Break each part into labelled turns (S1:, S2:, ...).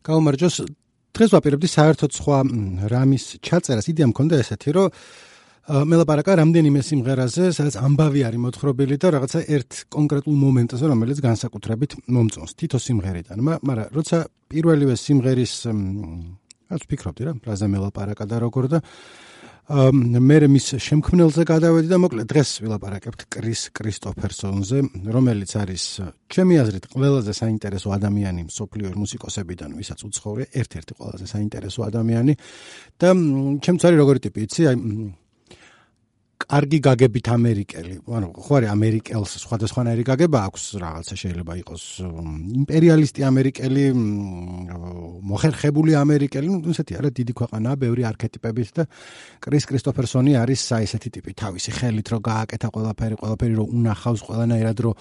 S1: გაუმარჯოს დღეს ვაპირებდი საერთოდ სხვა რამის ჩაწერას. იდეა მქონდა ესეთი, რომ მელაპარაკა რამდენიმე სიმღერაზე, სადაც ამბავი არის მოთხრობილი და რაღაცა ერთ კონკრეტულ მომენტზე, რომელიც განსაკუთრებით მომწონს თითო სიმღერიდან. მაგრამ როცა პირველივე სიმღერის რაც ვფიქრობდი რა, რაზე მელაპარაკა და როგორ და მე მის შემქმნელზე გადავედი და მოკლედ დღეს ვილაპარაკებთ კრის კრისტოფერსონზე, რომელიც არის ჩემი აზრით ყველაზე საინტერესო ადამიანი მსოფლიო მუსიკოსებიდან, ვისაც უცხოვრია, ერთ-ერთი ყველაზე საინტერესო ადამიანი და ჩემც არის როგორი ტიპი, იცი, აი კარგი გაგებით ამერიკელი, ანუ ხო არის ამერიკელს სხვადასხვანაირი გაგება აქვს, რაღაცა შეიძლება იყოს იმპერიალისტი ამერიკელი, მოხერხებული ამერიკელი, ესეთი არა, დიდი ქვეყანაა, ბევრი არქეტიპებით და კრის კრისტოფერსონი არის ესეთი ტიპი, თავისი ხელით რო გააკეთა ყველაფერი რო უნახავს ყველანაირად რო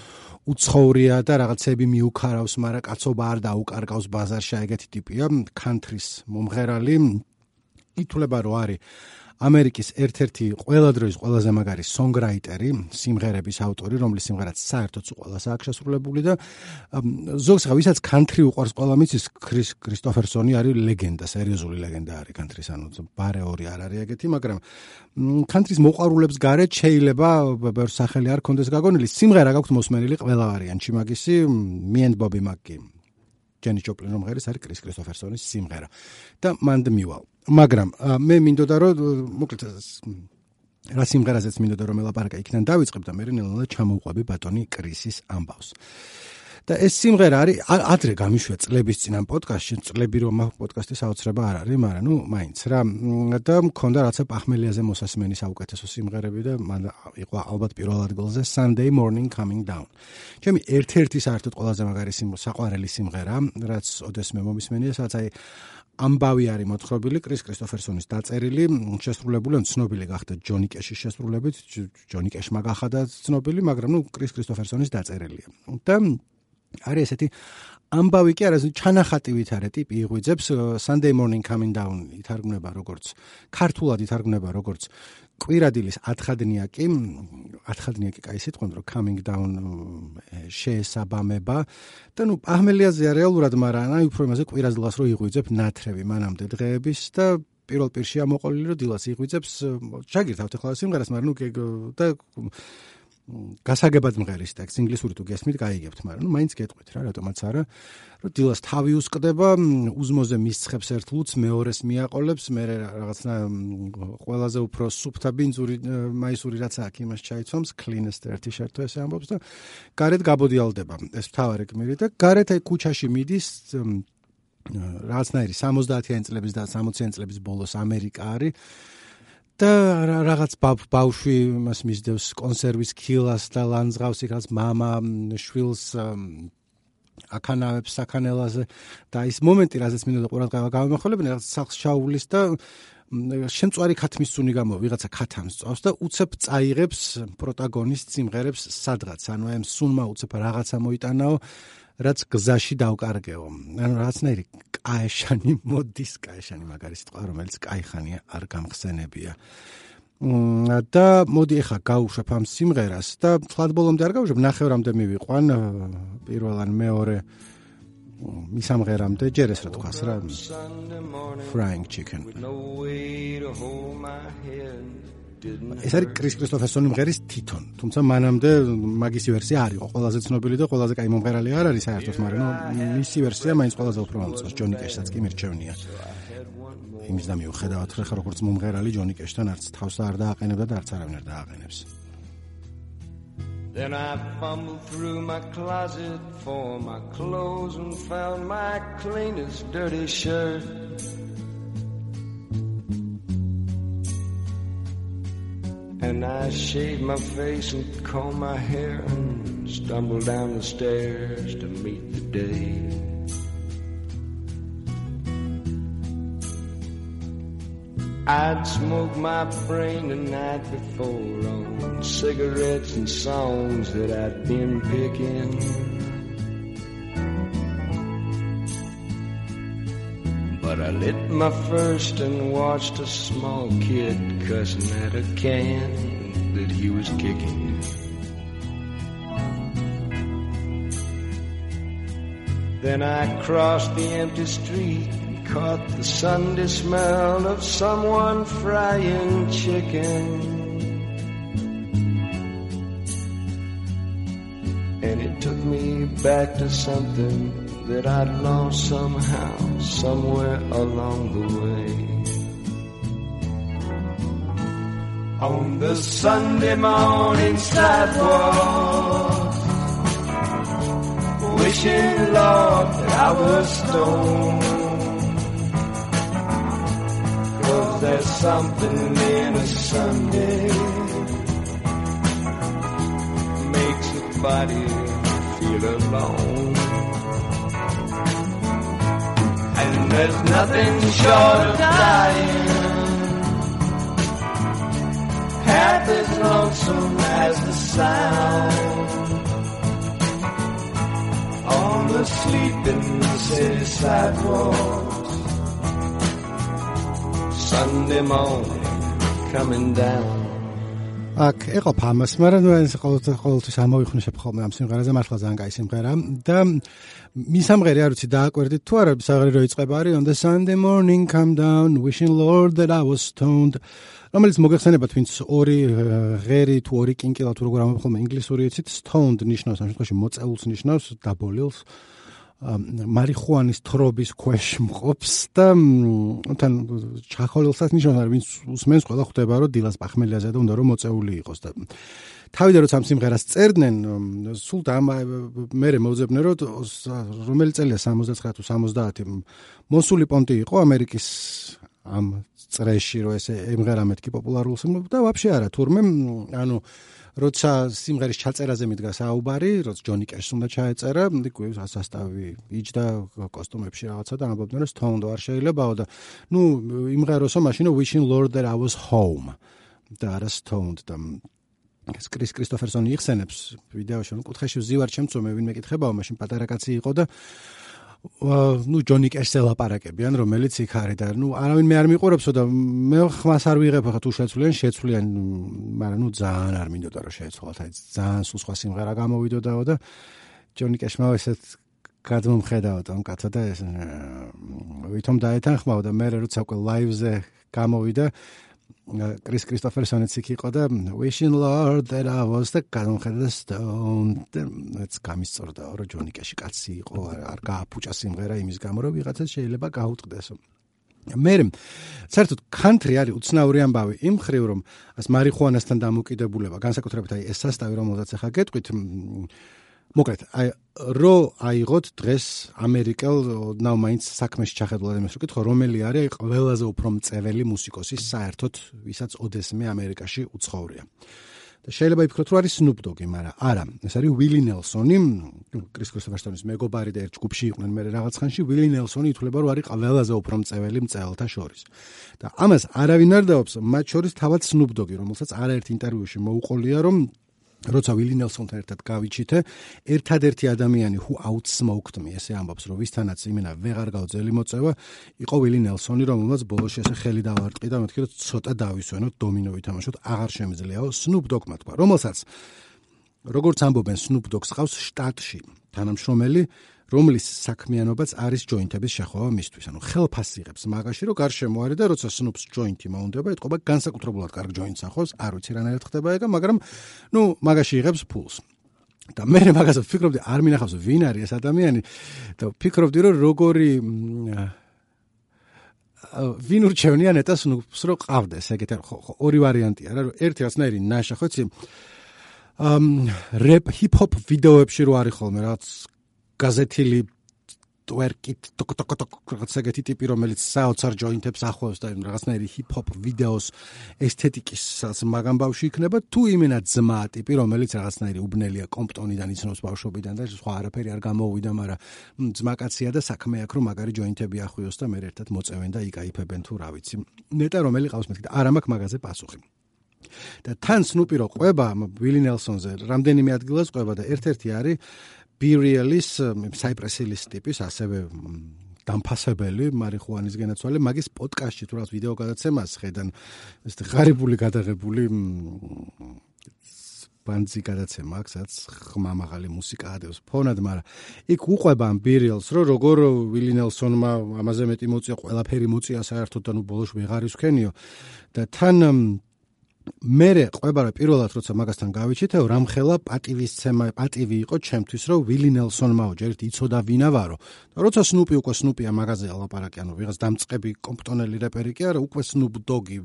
S1: უცხოვრია და რაღაცები მიუქარავს, მაგრამ კაცობა არ დაუკარგავს ბაზარში, ეგეთი ტიპია, country-ს მომღერალი, ითვლება რომ არის ამერიკის ერთ-ერთი ყველა დროის ყველაზე მაგარი სონგრაიტერი, სიმღერების ავტორი, რომლის სიმღერაც საერთოდ ყველას აქვს შესრულებული და ზოგს ხა ვისაც country უყვარს ყველა მიცის, კრის კრისტოფერსონი არის ლეგენდა, სერიოზული ლეგენდა არის country-ს, ანუ ბარეორი არ არის ეგეთი, მაგრამ country-ს მოყვარულებს გარეთ შეიძლება ბევრ სახელი არ კონდეს გაგონილი, სიმღერა გაქვთ მოსმენილი ყველა ვარიანტში მაგისი, Me and Bobby McGee. ჯენი ჯოპლინ რომღერის არის კრის კრისტოფერსონის სიმღერა და მანდ მივალ. მაგრამ მე მინდოდა რომ მოკლედ რა სიმღერაზეც მინდოდა რომ ელაპარაკა იქიდან დავიწყებ და მე ნელ-ნელა ჩამოვყვები ბატონი კრისის ამბავს. და ეს სიმღერა არის ადრე გამიშვია წლების წინ ამ პოდკასტში, წლები რომ ამ პოდკასტის აუცილებლობა არ არის, მაგრამ მაინც რა და მქონდა რაღაცა პახმელიაზე მოსასმენი საუკეთესო სიმღერები და მან იყო ალბათ პირველ ადგილზე Sunday Morning Coming Down. ჩემი ერთ-ერთი საერთოდ ყველაზე მაგარი საყვარელი სიმღერა, რაც ოდესმე მომისმენია, სადაც აი ამბავი არის მოთხრობილი კრის კრისტოფერსონის დაწერილი, შესრულებული, ცნობილი გახდა ჯონი კეშის შესრულებით, ჯონი კეშმა გახადა ცნობილი, მაგრამ კრის კრისტოფერსონის დაწერილია. და არის ესეთი ამბავი კი არა, ჩანახატი ვითარე ტიპი იღვიძებს, Sunday Morning Coming Down ითარგმნება როგორც ქართულად ითარგმნება როგორც კვირადილის ათხადნია კი კაი სიტყვა, რომ coming down შეესაბამება და პახმელიაზეა რეალურად, მაგრამ აი უფრო იმაზე კვირადილას რო იღვიძებ ნათრევი მანამდე დღეების და პირველ პირშია მოყოლილი რომ დილას იღვიძებს, ჩაგირთავთ ახლა სიმღერას, მაგრამ და გასაგებად მღერის ტექსტ ინგლისური თუ გესმით გაიგებთ, მაგრამ მაინც გეტყვით რა, რატომაც არა, რომ დილას თავი უსკდება, უზმოზე მისცხებს ერთ ლუც, მეორეს მიაყოლებს, მე რაღაცნა ყველაზე უფრო სუფთა ბინძური მაისური რაც აქვს, იმას ჩაიცვამს, cleanest dirty shirt თუ ესე ამბობს და გარეთ გაბოდიალდება. ეს მთავარი გმირი და გარეთ აი ქუჩაში მიდის რაღაცნაირი 70-იან წლების და 60-იან წლების ბოლოს ამერიკა არის. და რაღაც ბავშვი მას მისდევს კონსერვის ქილას და ლანძღავს იქაც მამა შვილს აკანავებს საქანელაზე და ის მომენტი, რაზეც მინდოდა ყურადღება გამომახვილებინა, რაღაც სახლს ჩაუვლის და შემწვარი ქათმის წუნი გამო ვიღაცა ქათამს წავს და უცებ წაიღებს პროტაგონისტ სიმღერებს სადღაც, ანუ ამ სუნმა უცებ რაღაცა მოიტანაო, რაც გზაში დავკარგეო. ანუ რაღაცნაირი კაეშანი მოდის, კაეშანი მაგარი სიტყვა, რომელიც კაიხანია არ გამხსენებია. და მოდი ახლა გავუშვებ ამ სიმღერას და თლად ბოლომდე არ გავუშვებ, ნახევრამდე მივიყვან, პირველ ან მეორე მისამღერამდე, ჯერ ეს რა თქვას რა, Frying Chicken. ეს არის კრის კრისტოფერსონის მღერის თვითონ, თუმცა მანამდე მაგისი ვერსია არ იყო ყველაზე ცნობილი და ყველაზე კაი მომღერალი არ არის საერთოდ, მაგრამ მისი ვერსია მაინც ყველაზე უფრო მომწონს, ჯონი კეშსაც კი მირჩევნია. იმის და მიუხედავად, ხა როგორც მომღერალი ჯონი კეშთან არც თავს არ დააყენებდა და არც არავინ არ დააყენებს. Then I fumbled through my closet for my clothes and found my cleanest dirty shirt. And I shaved my face and combed my hair and stumbled down the stairs to meet the day. I'd smoked my brain the night before on cigarettes and songs that I'd been picking. But I lit my first and watched a small kid cussing at a can that he was kicking.
S2: Then I crossed the empty street, caught the Sunday smell of someone frying chicken. And it took me back to something that I'd lost somehow, somewhere along the way. On the Sunday morning sidewalk, wishing, Lord, that I was stoned. 'Cause there's something in a Sunday makes a body feel alone. And there's nothing short of dying half as lonesome as the sound on the sleeping city sidewalks. Sunday morning coming down.
S1: აქ ეყოფა ამას, მაგრამ ეს ყოველთვის ამოვიხნიშებ ხოლმე ამ სიმღერაზე, მართლა ძალიან კაი სიმღერა და მისამღერი არ ვიცი დააკვირდით თუ არა, საერთოდ რო იწყება არის on the Sunday morning come down wishing Lord that I was stoned, რომელიც მოგეხსენებათ ვინც ორი ღერი თუ ორი კინკილა თუ როგორ ამბობ ხოლმე ინგლისური იცით, stoned ნიშნავს ამ შემთხვევაში მოწეულს ნიშნავს, დაბოლილს, მარიხუანის თრობის ქვეშ მყოფს და თან ჩახოლილსაც ნიშნავს, ვინც უსმენს ყველა ხვდება რომ დილას პახმელიაზე და უნდა რომ მოწეული იყოს და თავიდან როცა ამ სიმღერას წერდნენ, სულ და მერე მოუძებდნენ რომ რომელი წელია 69 თუ 70 მოსული პონტი იყო ამერიკის ამ წრეში რომ ესე ემღერა მეთქი პოპულარულს და ვაფშე არა თურმე ანუ როცა სიმღერის ჩაწერაზე მიდგა საუბარი, როცა ჯონი კეშს უნდა ჩაეწერა, იქვე სასტავი იჯდა კოსტუმებში რაღაცა და ამბობდნენ რომ stoned არ შეიძლებაო და ნუ იმღეროსო მაშინ wishing Lord that I was home და არა stoned და ეს კრის კრისტოფერსონი იხსენებს ვიდეოში, რომ კუთხეში ვზივარ ჩემწო მე ვინმე კითხებაო, მაშინ პატარა კაცი იყო და ნუ ჯონი კეშს ელაპარაკებიან, რომელიც იქ არის და ნუ არავინ მე არ მიყურებსო და მე ხმას არ ვიღებ ხა თუ შეცვლიან, მაგრამ ნუ ძალიან არ მინდოდა რომ შეეცვალათ, აი ძალიან სულ სხვა სიმღერა გამოვიდოდაო და ჯონი კეშმა ესეთ გადმომხედავდა ამ კაცო და ეს ვითომ დაეთანხმაო და მე როცა უკვე ლაივზე გამოვიდა კრის კრისტოფერსონიც იქ იყო და wishing Lord that I was the გადმოხედა stoned ეს გამისწორდა რომ ჯონი კეში კაცი იყო არ გააფუჭა სიმღერა იმის გამო რომ ვიღაცას შეიძლება გაუტყდესო მე საერთოდ country არის უცნაური ამბავი იმ ხრივ რომ ას მარიხუანასთან დამოკიდებულება განსაკუთრებით აი ეს სასტავი რომელზეც ახლა გეტყვით მოკლედ აი რო აიღოთ დღეს ამერიკელ ნაუ მაინც საქმეში ჩახედულად იმას ვკითხო რომელი არის ყველაზე უფრო მწეველი მუსიკოსი საერთოდ ვისაც ოდესმე ამერიკაში უცხოვრია და შეიძლება იფიქროთ რომ არის Snoop Dogg-ი, მაგრამ არა, ეს არის Willie Nelson-ი, კრის კრისტოფერსონის მეგობარი და ერთ ჯგუფში იყვნენ მე რაღაც ხანში, Willie Nelson-ი ითვლება რომ არის ყველაზე უფრო მწეველი მწეველთა შორის. და ამას არავინ არ დაობს, მათ შორის თავად Snoop Dogg-ი, რომელსაც არაერთ ინტერვიუში მოუყოლია რომ როცა Willie Nelson-თან ერთად გავიჩითე, ერთადერთი ადამიანი who outsmoked me, ესე ამბობს, რომ ვისთანაც იმენა ვეღარ გავძელი მოწევა, იყო Willie Nelson-ი, რომელმაც ბოლოში ესე ხელი დავარტყი და მეთქი, რომ ცოტა დავისვენოთ, დომინო ვითამაშოთ, აღარ შემიძლიაო Snoop Dogg-მა თქვა, რომელსაც როგორც ამბობენ Snoop Dogg-ს ყავს შტატში თანამშრომელი, რომლის საქმიანობაც არის ჯოინტების შეხვევა მისთვის. ანუ ხელფასს იღებს მაგაში, რომ გარშემო არის და როცა Snoop-ს ჯოინტი მოუნდება, ეთყობა განსაკუთრებულად კარგ ჯოინტს ახოს, არ ვიცი რანაირად ხდება ეგა, მაგრამ ნუ მაგაში იღებს ფულს. და მე მაგაზე ვფიქრობდი, არ მინახავს ვინ არის ეს ადამიანი და ვფიქრობდი, რომ როგორი ვინ ურჩევნია ნეტა Snoop-ს რო ყავდეს, ეგეთი ორი ვარიანტია რა, ერთი რაღაცნაირი ნაშა, ხო იცი? რეპ ჰიპ-ჰოპ ვიდეოებში რო არის ხოლმე რაღაც გაზეთილი ტვერკით რაღაც ეგეთი ტიპი რომელიც საოცარ ჯოინტებს ახლავს და რაღაცნაირი ჰიპ-ჰოპ ვიდეოს ესთეტიკის მაგამ ბავშვი იქნება თუ იმენა ძმა ტიპი რომელიც რაღაცნაირი უბნელია კომპტონიდან იცნობს ბავშვობიდან და სხვა არაფერი არ გამოუვიდა, მაგრამ ძმაკაცია და საქმე აქვს რომ მაგარი ჯოინტები ახვიოს და მე ერთად მოწევენ და იკაიფებენ თუ რა ვიცი. ნეტა რომელი ყავს მეთქი და არ მაქვს მაგაზე პასუხი. და თან Snoop-ი რო ყვება Willie Nelson-ზე რამდენიმე ადგილას ყვება და ერთ-ერთი არის Be-Real-ის Cypress Hill-ის ტიპის ასევე დამფასებელი მარიხუანის გენაცვალე მაგის პოდკასტში თუ რაღაც ვიდეო გადაცემას ხედან ეს ღარიბული გადაღებული ბანძი გადაცემა აქვს, სადაც ხმამაღალი მუსიკა ადევს ფონად, მაგრამ იქ უყვება ამ ბირილს, რომ როგორ ვილი ნელსონმა ამაზე მეტი მოწია, ყველაფერი მოწია საერთოდ და ნუ ბოლოს ვეღარ ისქენიო და თან მერე ყვება რა პირველად როცა მაგასთან გავიჩითეო რამხელა პატივი იყო ჩემთვის რომ ვილი ნელსონმაო ჯერ იცოდა ვინა ვარო და როცა სნუპი უკვე სნუპია მაგაზია ლაპარაკი ანუ ვიღაც დამწყები კომპტონელი რეპერი კი არა უკვე სნუპ დოგი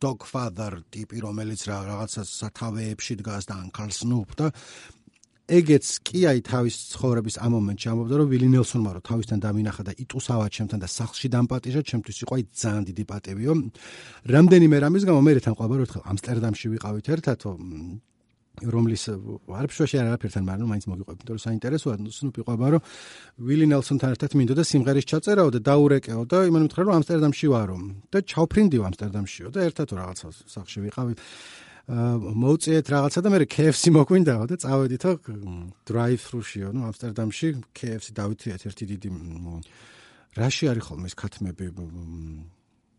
S1: dog father ტიპი რომელიც რაღაცა სათავეებში დგას და uncle snoop და ეგეც კი აი თავის ცხოვრების ამ მომენტში ამბობდა რომ ვილი ნელსონმა რომ თავისთან დამინახა და იტუსავა ჩემთან და სახლში დამპატიჟა ჩემთვის იყო აი ძალიან დიდი პატივიო რამდენიმე რამის გამო მე თან ყვება რომ ერთხელ ამსტერდამში ვიყავით ერთად რომლის არაფერში არაფერთან მაგრამ მაინც მოგიყვებით იმიტომ რომ საინტერესოა სნუპი ყვება რომ ვილი ნელსონთან ერთად მინდოდა სიმღერის ჩაწერაო და დაურეკეო და იმან მითხრა რომ ამსტერდამში ვარო და ჩავფრინდიო ამსტერდამშიო და ერთად რაღაცა სახლში ვიყავით მოუწიეთ რაღაცა და მე KFC მოგვინდაო და წავედითო drive-thru-შიო, ნუ ამსტერდამში KFC დავითიეთ ერთი დიდი რაში არის ხოლმე ეს ქათმები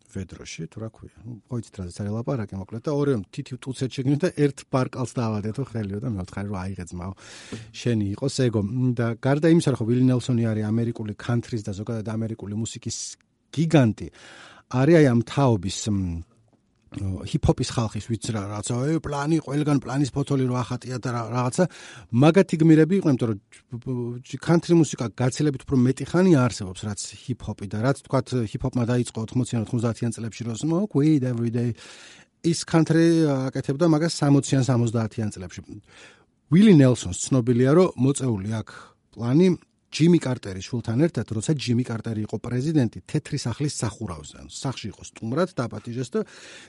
S1: ვედროში, თუ რა ქვია. ნუ ყოიცით რა ზეც არის ლაპარაკი მოკლედ და ორი თითი ტუცეთ შეგნით და ერთ პარკალს დავადეთო ხელიო და მე ვთხარი რომ აიღე ძმაო. შენი იყოს ეგო და გარდა იმისა რომ ვილი ნელსონი არის ამერიკული country-ს და ზოგადად ამერიკული მუსიკის გიგანტი, არის აი ამ თაობის ჰიპ-ჰოპის ხალხის ვიცი რა რაღაცა პლანი ყველგან პლანის ფოთოლი რო ახატია და რაღაცა მაგათი გმირები იყვნენ იმიტომ რომ country მუსიკა გაცილებით უფრო მეტი ხანია არსებობს რაც ჰიპ-ჰოპი და რაც თქვათ ჰიპ-ჰოპმა დაიწყო 80-ან 90-იან წლებში რო smoke weed every day ის country აკეთებდა მაგას 60-იან 70-იან წლებში ვილი ნელსონს ცნობილია რომ მოწეული აქვს პლანი ჯიმი კარტერის შვილთან ერთად, როცა ჯიმი კარტერი იყო პრეზიდენტი, თეთრი სახლის სახურავზე, ანუ სახლში იყო სტუმრად დაპატიჟეს და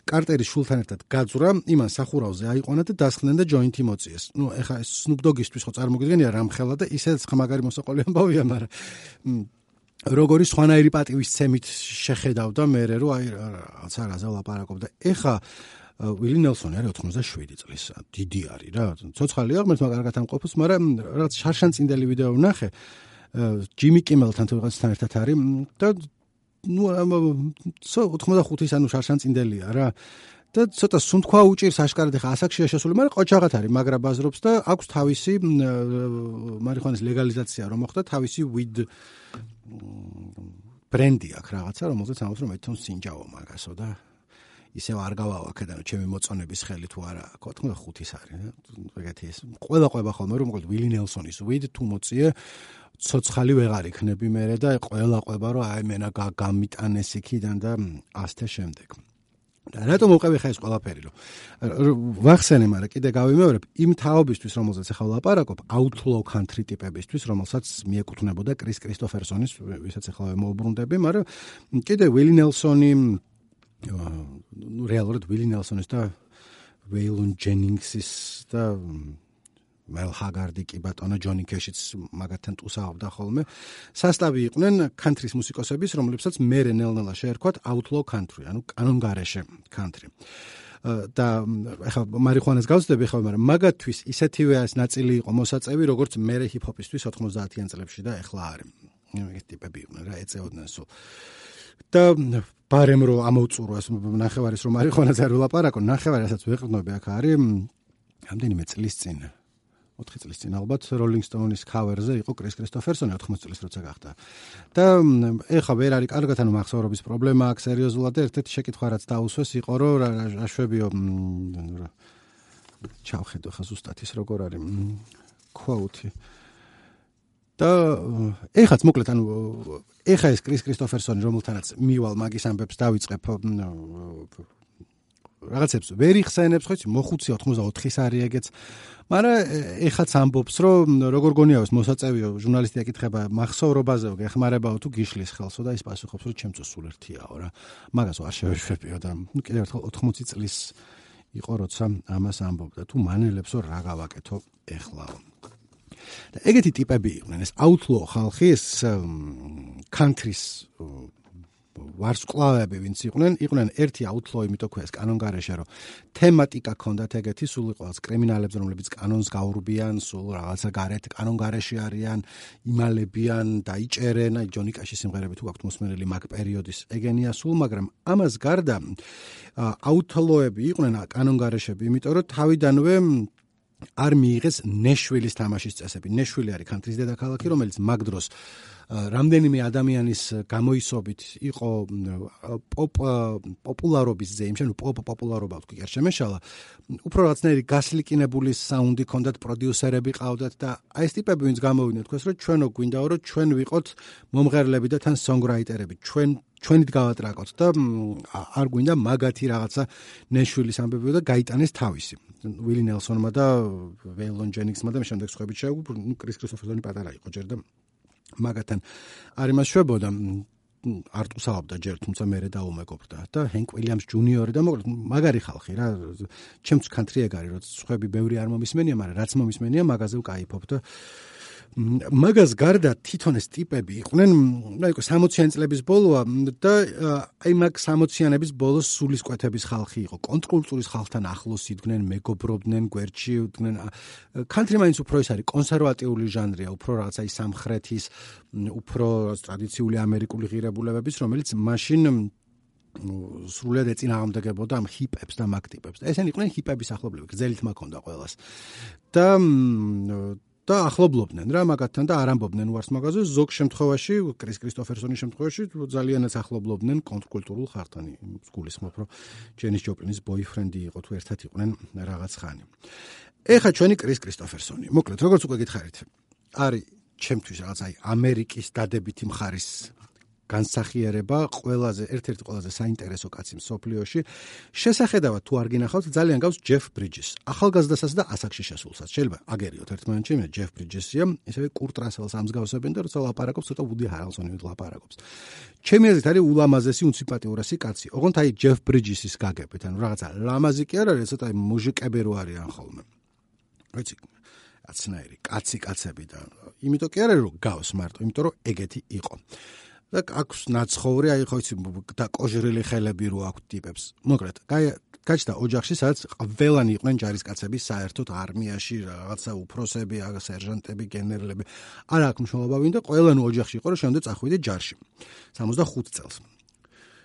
S1: კარტერის შვილთან ერთად გაძვრა, იმან სახურავზე აიყვანა და დასხდნენ და ჯოინტი მოწიეს. ნუ ეხა ეს Snoop Dogg-ისთვის ხო წარმოგიდგენია რამხელა და ისედაც ხმაგარი მოსაყოლი ამბავია, მაგრამ როგორი სხვანაირი პატივისცემით შეხედავდა მე რომ აი რაღაც არაზე ლაპარაკობდა. ეხა ვილი ნელსონი არის 87 წლის, დიდი არის რა. ცოცხალია, ღმერთმა კარგად ამყოფოს, მაგრამ რაღაც შარშანწინდელი ვიდეო ვნახე. ჯიმი კიმელთან თუ ვიღაცთან ერთად არის და ნუ 85-ის ანუ შარშანწინდელია რა და ცოტა სუნთქვა უჭირს აშკარად ხა ასაკშია შესული, მაგრამ ყოჩაღად არის, მაგრა ბაზრობს და აქვს თავისი მარიხუანის ლეგალიზაცია რომ მოხდა, თავისი weed ბრენდი აქვს რაღაცა, რომელზეც ამბობს რომ ეთონ სინჯაო მაგასო და ისევ არ გავავაქედან ჩემი მოწონების ხელი თუ არა 85-ის არის ეგეთი ეს ყველა ყვება ხოლმე რომ მოკლედ ვილი ნელსონის weed თუ მოწიე ცოცხალი ვეღარ იქნები მერე და ყველა ყვება რომ აი მენა გამიტანეს იქიდან და ასተ შემდეგ და რატომ მოყვები ხა ეს ყველაფერი რომ ვახსენე მაგრამ კიდე გავიმეორებ იმ თაობისთვის რომელზეც ახლა ლაპარაკობ outlaw country ტიპებისთვის რომელსაც მიეკუთვნებოდა კრის კრისტოფერსონის ვისაც ახლა მოუბრუნდები მაგრამ კიდე ვილი ნელსონი ნუ რეალურად ვილი ნელსონის და ვეილონ ჯენინგსის და მელ ჰაგარდი კი ბატონო ჯონი კეშიც მაგათთან ტუსაობდა ხოლმე სასტავი იყვნენ country-ის მუსიკოსების რომლებსაც მერე ნელ-ნელა შეერქვათ outlaw country ანუ კანონგარეშე country და ახლა მარიხუანას გავწდები ხო მაგრამ მაგათთვის ისეთივე ეს ნაწილი იყო მოსაწევი როგორც მერე ჰიპ-ჰოპისთვის 90-იან წლებში და ახლა არის ეგეთი ტიპები იყვნენ რა ეწეოდნენ სულ და ბარემ რო ამოვწურო ეს ნახევარის რომ მარიხუანას არ ვლაპარაკო ნახევარი რასაც ვეყრდნობი აქ არის რამდენიმე წლის წინ 4 წლის წინ ალბათ Rolling Stones-ის cover-ზე იყო კრის კრისტოფერსონი 80 წლის როცა გახდა და ეხა ვერ არის კარგად ანუ მახსოვრობის პრობლემა აქვს სერიოზულად და ერთ-ერთი შეკითხვა რაც დაუსვეს იყო რომ აშვებიო ჩავხედო ხა ზუსტად ის როგორ არის quote და ეხაც მოკლედ ანუ ეხა ეს კრის კრისტოფერსონი რომელთანაც მივალ მაგის ამბებს დავიწყებ რაღაცებს ვერ იხსენებს ხო იცი მოხუცი 84-ის არის ეგეც მაგრამ ეხაც ამბობს რომ როგორ გონიაო ეს მოსაწევიო ჟურნალისტი აკითხება მახსოვრობაზეო გეხმარებაო თუ გიშლის ხელსო და ის პასუხობს რომ ჩემც სულ ერთიაო რა მაგასო არ შევეშვებიო და ნუ კიდევ ერთხელ 80 წლის იყო როცა ამას ამბობდა თუ მანელებსო რა გავაკეთო ეხლაო და ეგეთი ტიპები იყვნენ ეს outlaw ხალხი ეს country-ის ვარსკვლავები ვინც იყვნენ ერთი outlaw იმიტომ ქვია ეს კანონგარეშე რომ თემატიკა ქონდათ ეგეთი სულ იყო კრიმინალებს რომლებიც კანონს გაურბიან სულ რაღაცა გარეთ კანონგარეშე არიან იმალებიან დაიჭერენ აი ჯონი კაშის სიმღერები თუ გაქვთ მოსმენელი მაგ პერიოდის ეგენია სულ მაგრამ ამას გარდა outlaw-ები იყვნენ კანონგარეშები იმიტომ რომ თავიდანვე არ მიიღეს ნეშვილის თამაშის წესები. ნეშვილი არის კანტრის დედაქალაქი, რომელიც მაგ დროს რამდენიმე ადამიანის გამოისობით იყო პოპულარობის ზეიმში, ანუ პოპულარობა ვთქვი, არ შემეშალა. უფრო რაღაცნაირი გასლიკინებული საუნდი ჰქონდათ, პროდიუსერები ყავდათ და აი ეს ტიპები ვინც გამოვიდნენ თქვენს რომ ჩვენო გვინდაო რომ ჩვენ ვიყოთ მომღერლები და თან სონგრაიტერები. ჩვენით გავატრაკოთ და არ გვინდა მაგათი რაღაცა ნეშვილის ამბები და გაიტანეს თავისი. ვილი ნელსონმა და ვეილონ ჯენინგსმა და შემდეგ სხვაებით შეგვიძლია, კრის კრისტოფერსონი პატარა იყო ჯერ და მაგათთან არ იმასშვებოდა, არ ტყუსავდა ჯერ, თუმცა მერე დაუმეგობრდა და ჰენკ უილიამს ჯუნიორი და მოკლედ მაგარი ხალხი რა, ჩემს კანტრი ეგ არის, როცა სხვები ბევრი არ მომისმენია, მაგრამ რაც მომისმენია, მაგაზე ვკაიფობ და მაგას გარდა თვითონ ეს ტიპები იყვნენ, აი 60-იანი წლების ბოლოა და აი მაგ 60-იანების ბოლოს სულისკვეთების ხალხი იყო, კონტრკულტურის ხალხთან ახლოს იდგნენ, მეგობრობდნენ, გვერდში იდგნენ. კანტრი მაინც უფრო ის არის კონსერვატიული ჟანრია, უფრო რაღაცა ის სამხრეთის, უფრო ტრადიციული ამერიკული ღირებულებების, რომელიც მაშინ სრულად ეწინააღმდეგებოდა ამ ჰიპებს და მაგ ტიპებს. ესენი იყვნენ ჰიპების ახლობლები, გრძელით მაქონდა ყველას. და ახლობლობდნენ რა მაგათთან და არ ამბობდნენ უარს მაგაზე, ზოგ შემთხვევაში, კრის კრისტოფერსონის შემთხვევაში ძალიანაც ახლობლობდნენ კონტრკულტურულ ხალხთან. გულისხმობ, რომ ჯენის ჯოპლინის ბოიფრენდი იყო თუ ერთად იყვნენ რაღაც ხანი. ეხა ჩვენი კრის კრისტოფერსონი. მოკლედ, როგორც უკვე გითხარით, არის ჩემთვის რაღაც აი ამერიკის დადებითი მხარის განსახიერება, ერთ-ერთი ყველაზე საინტერესო კაცი მსოფლიოში. შესახედავად თუ არ გინახავთ, ძალიან გავს ჯეფ ბრიჯის. ახალგაზრდასაც და ასაკში შესულსაც. შეიძლება აგერიოთ ერთმანეთში, მე ჯეფ ბრიჯესია, ისევე კურტ რასელს ამსგავსებენ და როცა ლაპარაკობს, ცოტა ვუდი ჰარელსონი ლაპარაკობს. ჩემი აზრით არის ულამაზესი, უნციპატიურესი კაცი. ოღონდ აი ჯეფ ბრიჯის გაგებით, ანუ რაღაცა ლამაზი კი არ არის, ცოტა მუჟიკები რო არიან ხოლმე. ვიცი, აცნაირი, კაცები და იმიტომ კი არ არის რომ გავს მარტო, იმიტომ რომ ეგეთი იყო. და აქვს ნაცხოვრი, აი ხო იცი და კოჟრილი ხელები რო აქვს ტიპებს. მოკლედ, გაჩნდა ოჯახში, სადაც ყველანი იყვნენ ჯარისკაცები საერთოდ არმიაში, რაღაცა უფროსები, სერჟანტები, გენერლები. არ აქვს მნიშვნელობა ვინ და ყველანი ოჯახში იყო, რომ შემდეგ წახვიდე ჯარში. 65 წელს.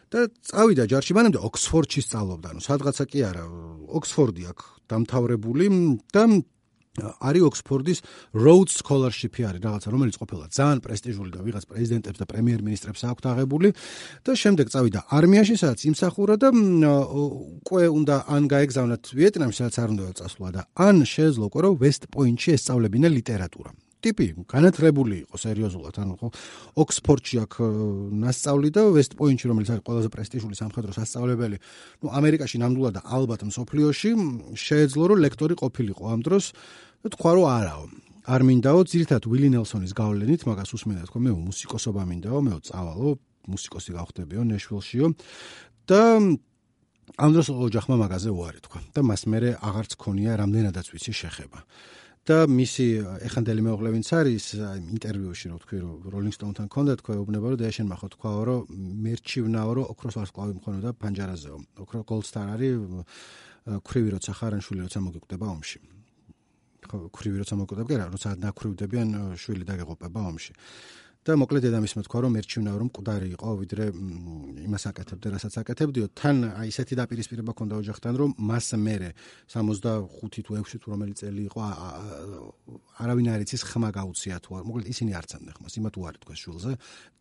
S1: და წავიდა ჯარში, მანამდე ოქსფორდში სწავლობდა, ანუ სადღაცა კი არა, ოქსფორდი აქვს დამთავრებული და არის ოქსფორდის Rhodes Scholarship-ი არის რაღაცა, რომელიც ყოფილა ძალიან პრესტიჟული და ვიღაც პრეზიდენტებს და პრემიერ-მინისტრებს აქვს აღებული და შემდეგ წავიდა არმიაში, სადაც იმსახურა და უკვე უნდა ან გაეგზავნათ ვიეტნამში, სადაც არ უნდა წასვლა და ან შეეძლო უკვე რომ West Point-ში ესწავლებინა ლიტერატურა. ტიპი განათლებული იყო სერიოზულად, ანუ ხო ოქსფორდში აქვს მასწავლი და West Point-ში, რომელიც არის ყველაზე პრესტიჟული სამხედრო სასწავლებელი, ამერიკაში ნამდვილად და ალბათ მსოფლიოში შეეძლო რომ ლექტორი ყოფილიყო ამ დროს და თქვა რომ არაო. არ მინდაო, ძირითადად ვილი ნელსონის გავლენით, მაგას უსმენდა, თქვა მე მუსიკოსობა მინდაო, მე წავალო, მუსიკოსი გავხდებიო ნეშვილშიო და ამ დროს ოჯახმა მაგაზე უარი თქვა და მას მერე აღარც ქონია რამდენადაც ვიცი შეხება. და მისი ეხანდელი მეუღლე ვინც არის ინტერვიუში რო თქვი რომ როლინგ სტოუნთან ჰქონდა თქვა ეუბნება რომ დეაშენ მახო თქვაო რომ მერჩივნაო რომ ოქროს ვარსკვლავი მქონოდა პანჯარაზეო. ოქრო გოლდსტარ არის ქრივი როცა ხარანშვილი როცა მოგიკვდება ომში. ხო ქრივი როცა მოგიკვდება კი რა როცა ნაქრივდებიან შვილი დაგეღუპება ომში. და მოკლედ დედამისმა თქვა რომ მერჩივნაო რომ მკვდარი იყო ვიდრე იმას აკეთებდა რასაც აკეთებდიო. თან აი ესეთი დაპირისპირება ჰქონდა ოჯახთან რომ მას მერე 65 თუ 6 თუ რომელი წელი იყო არავინ არ იცის ხმა გაუწია თუ არ. მოკლედ ისინი არცანდნენ ხმას, იმათ უარი თქვა შულზე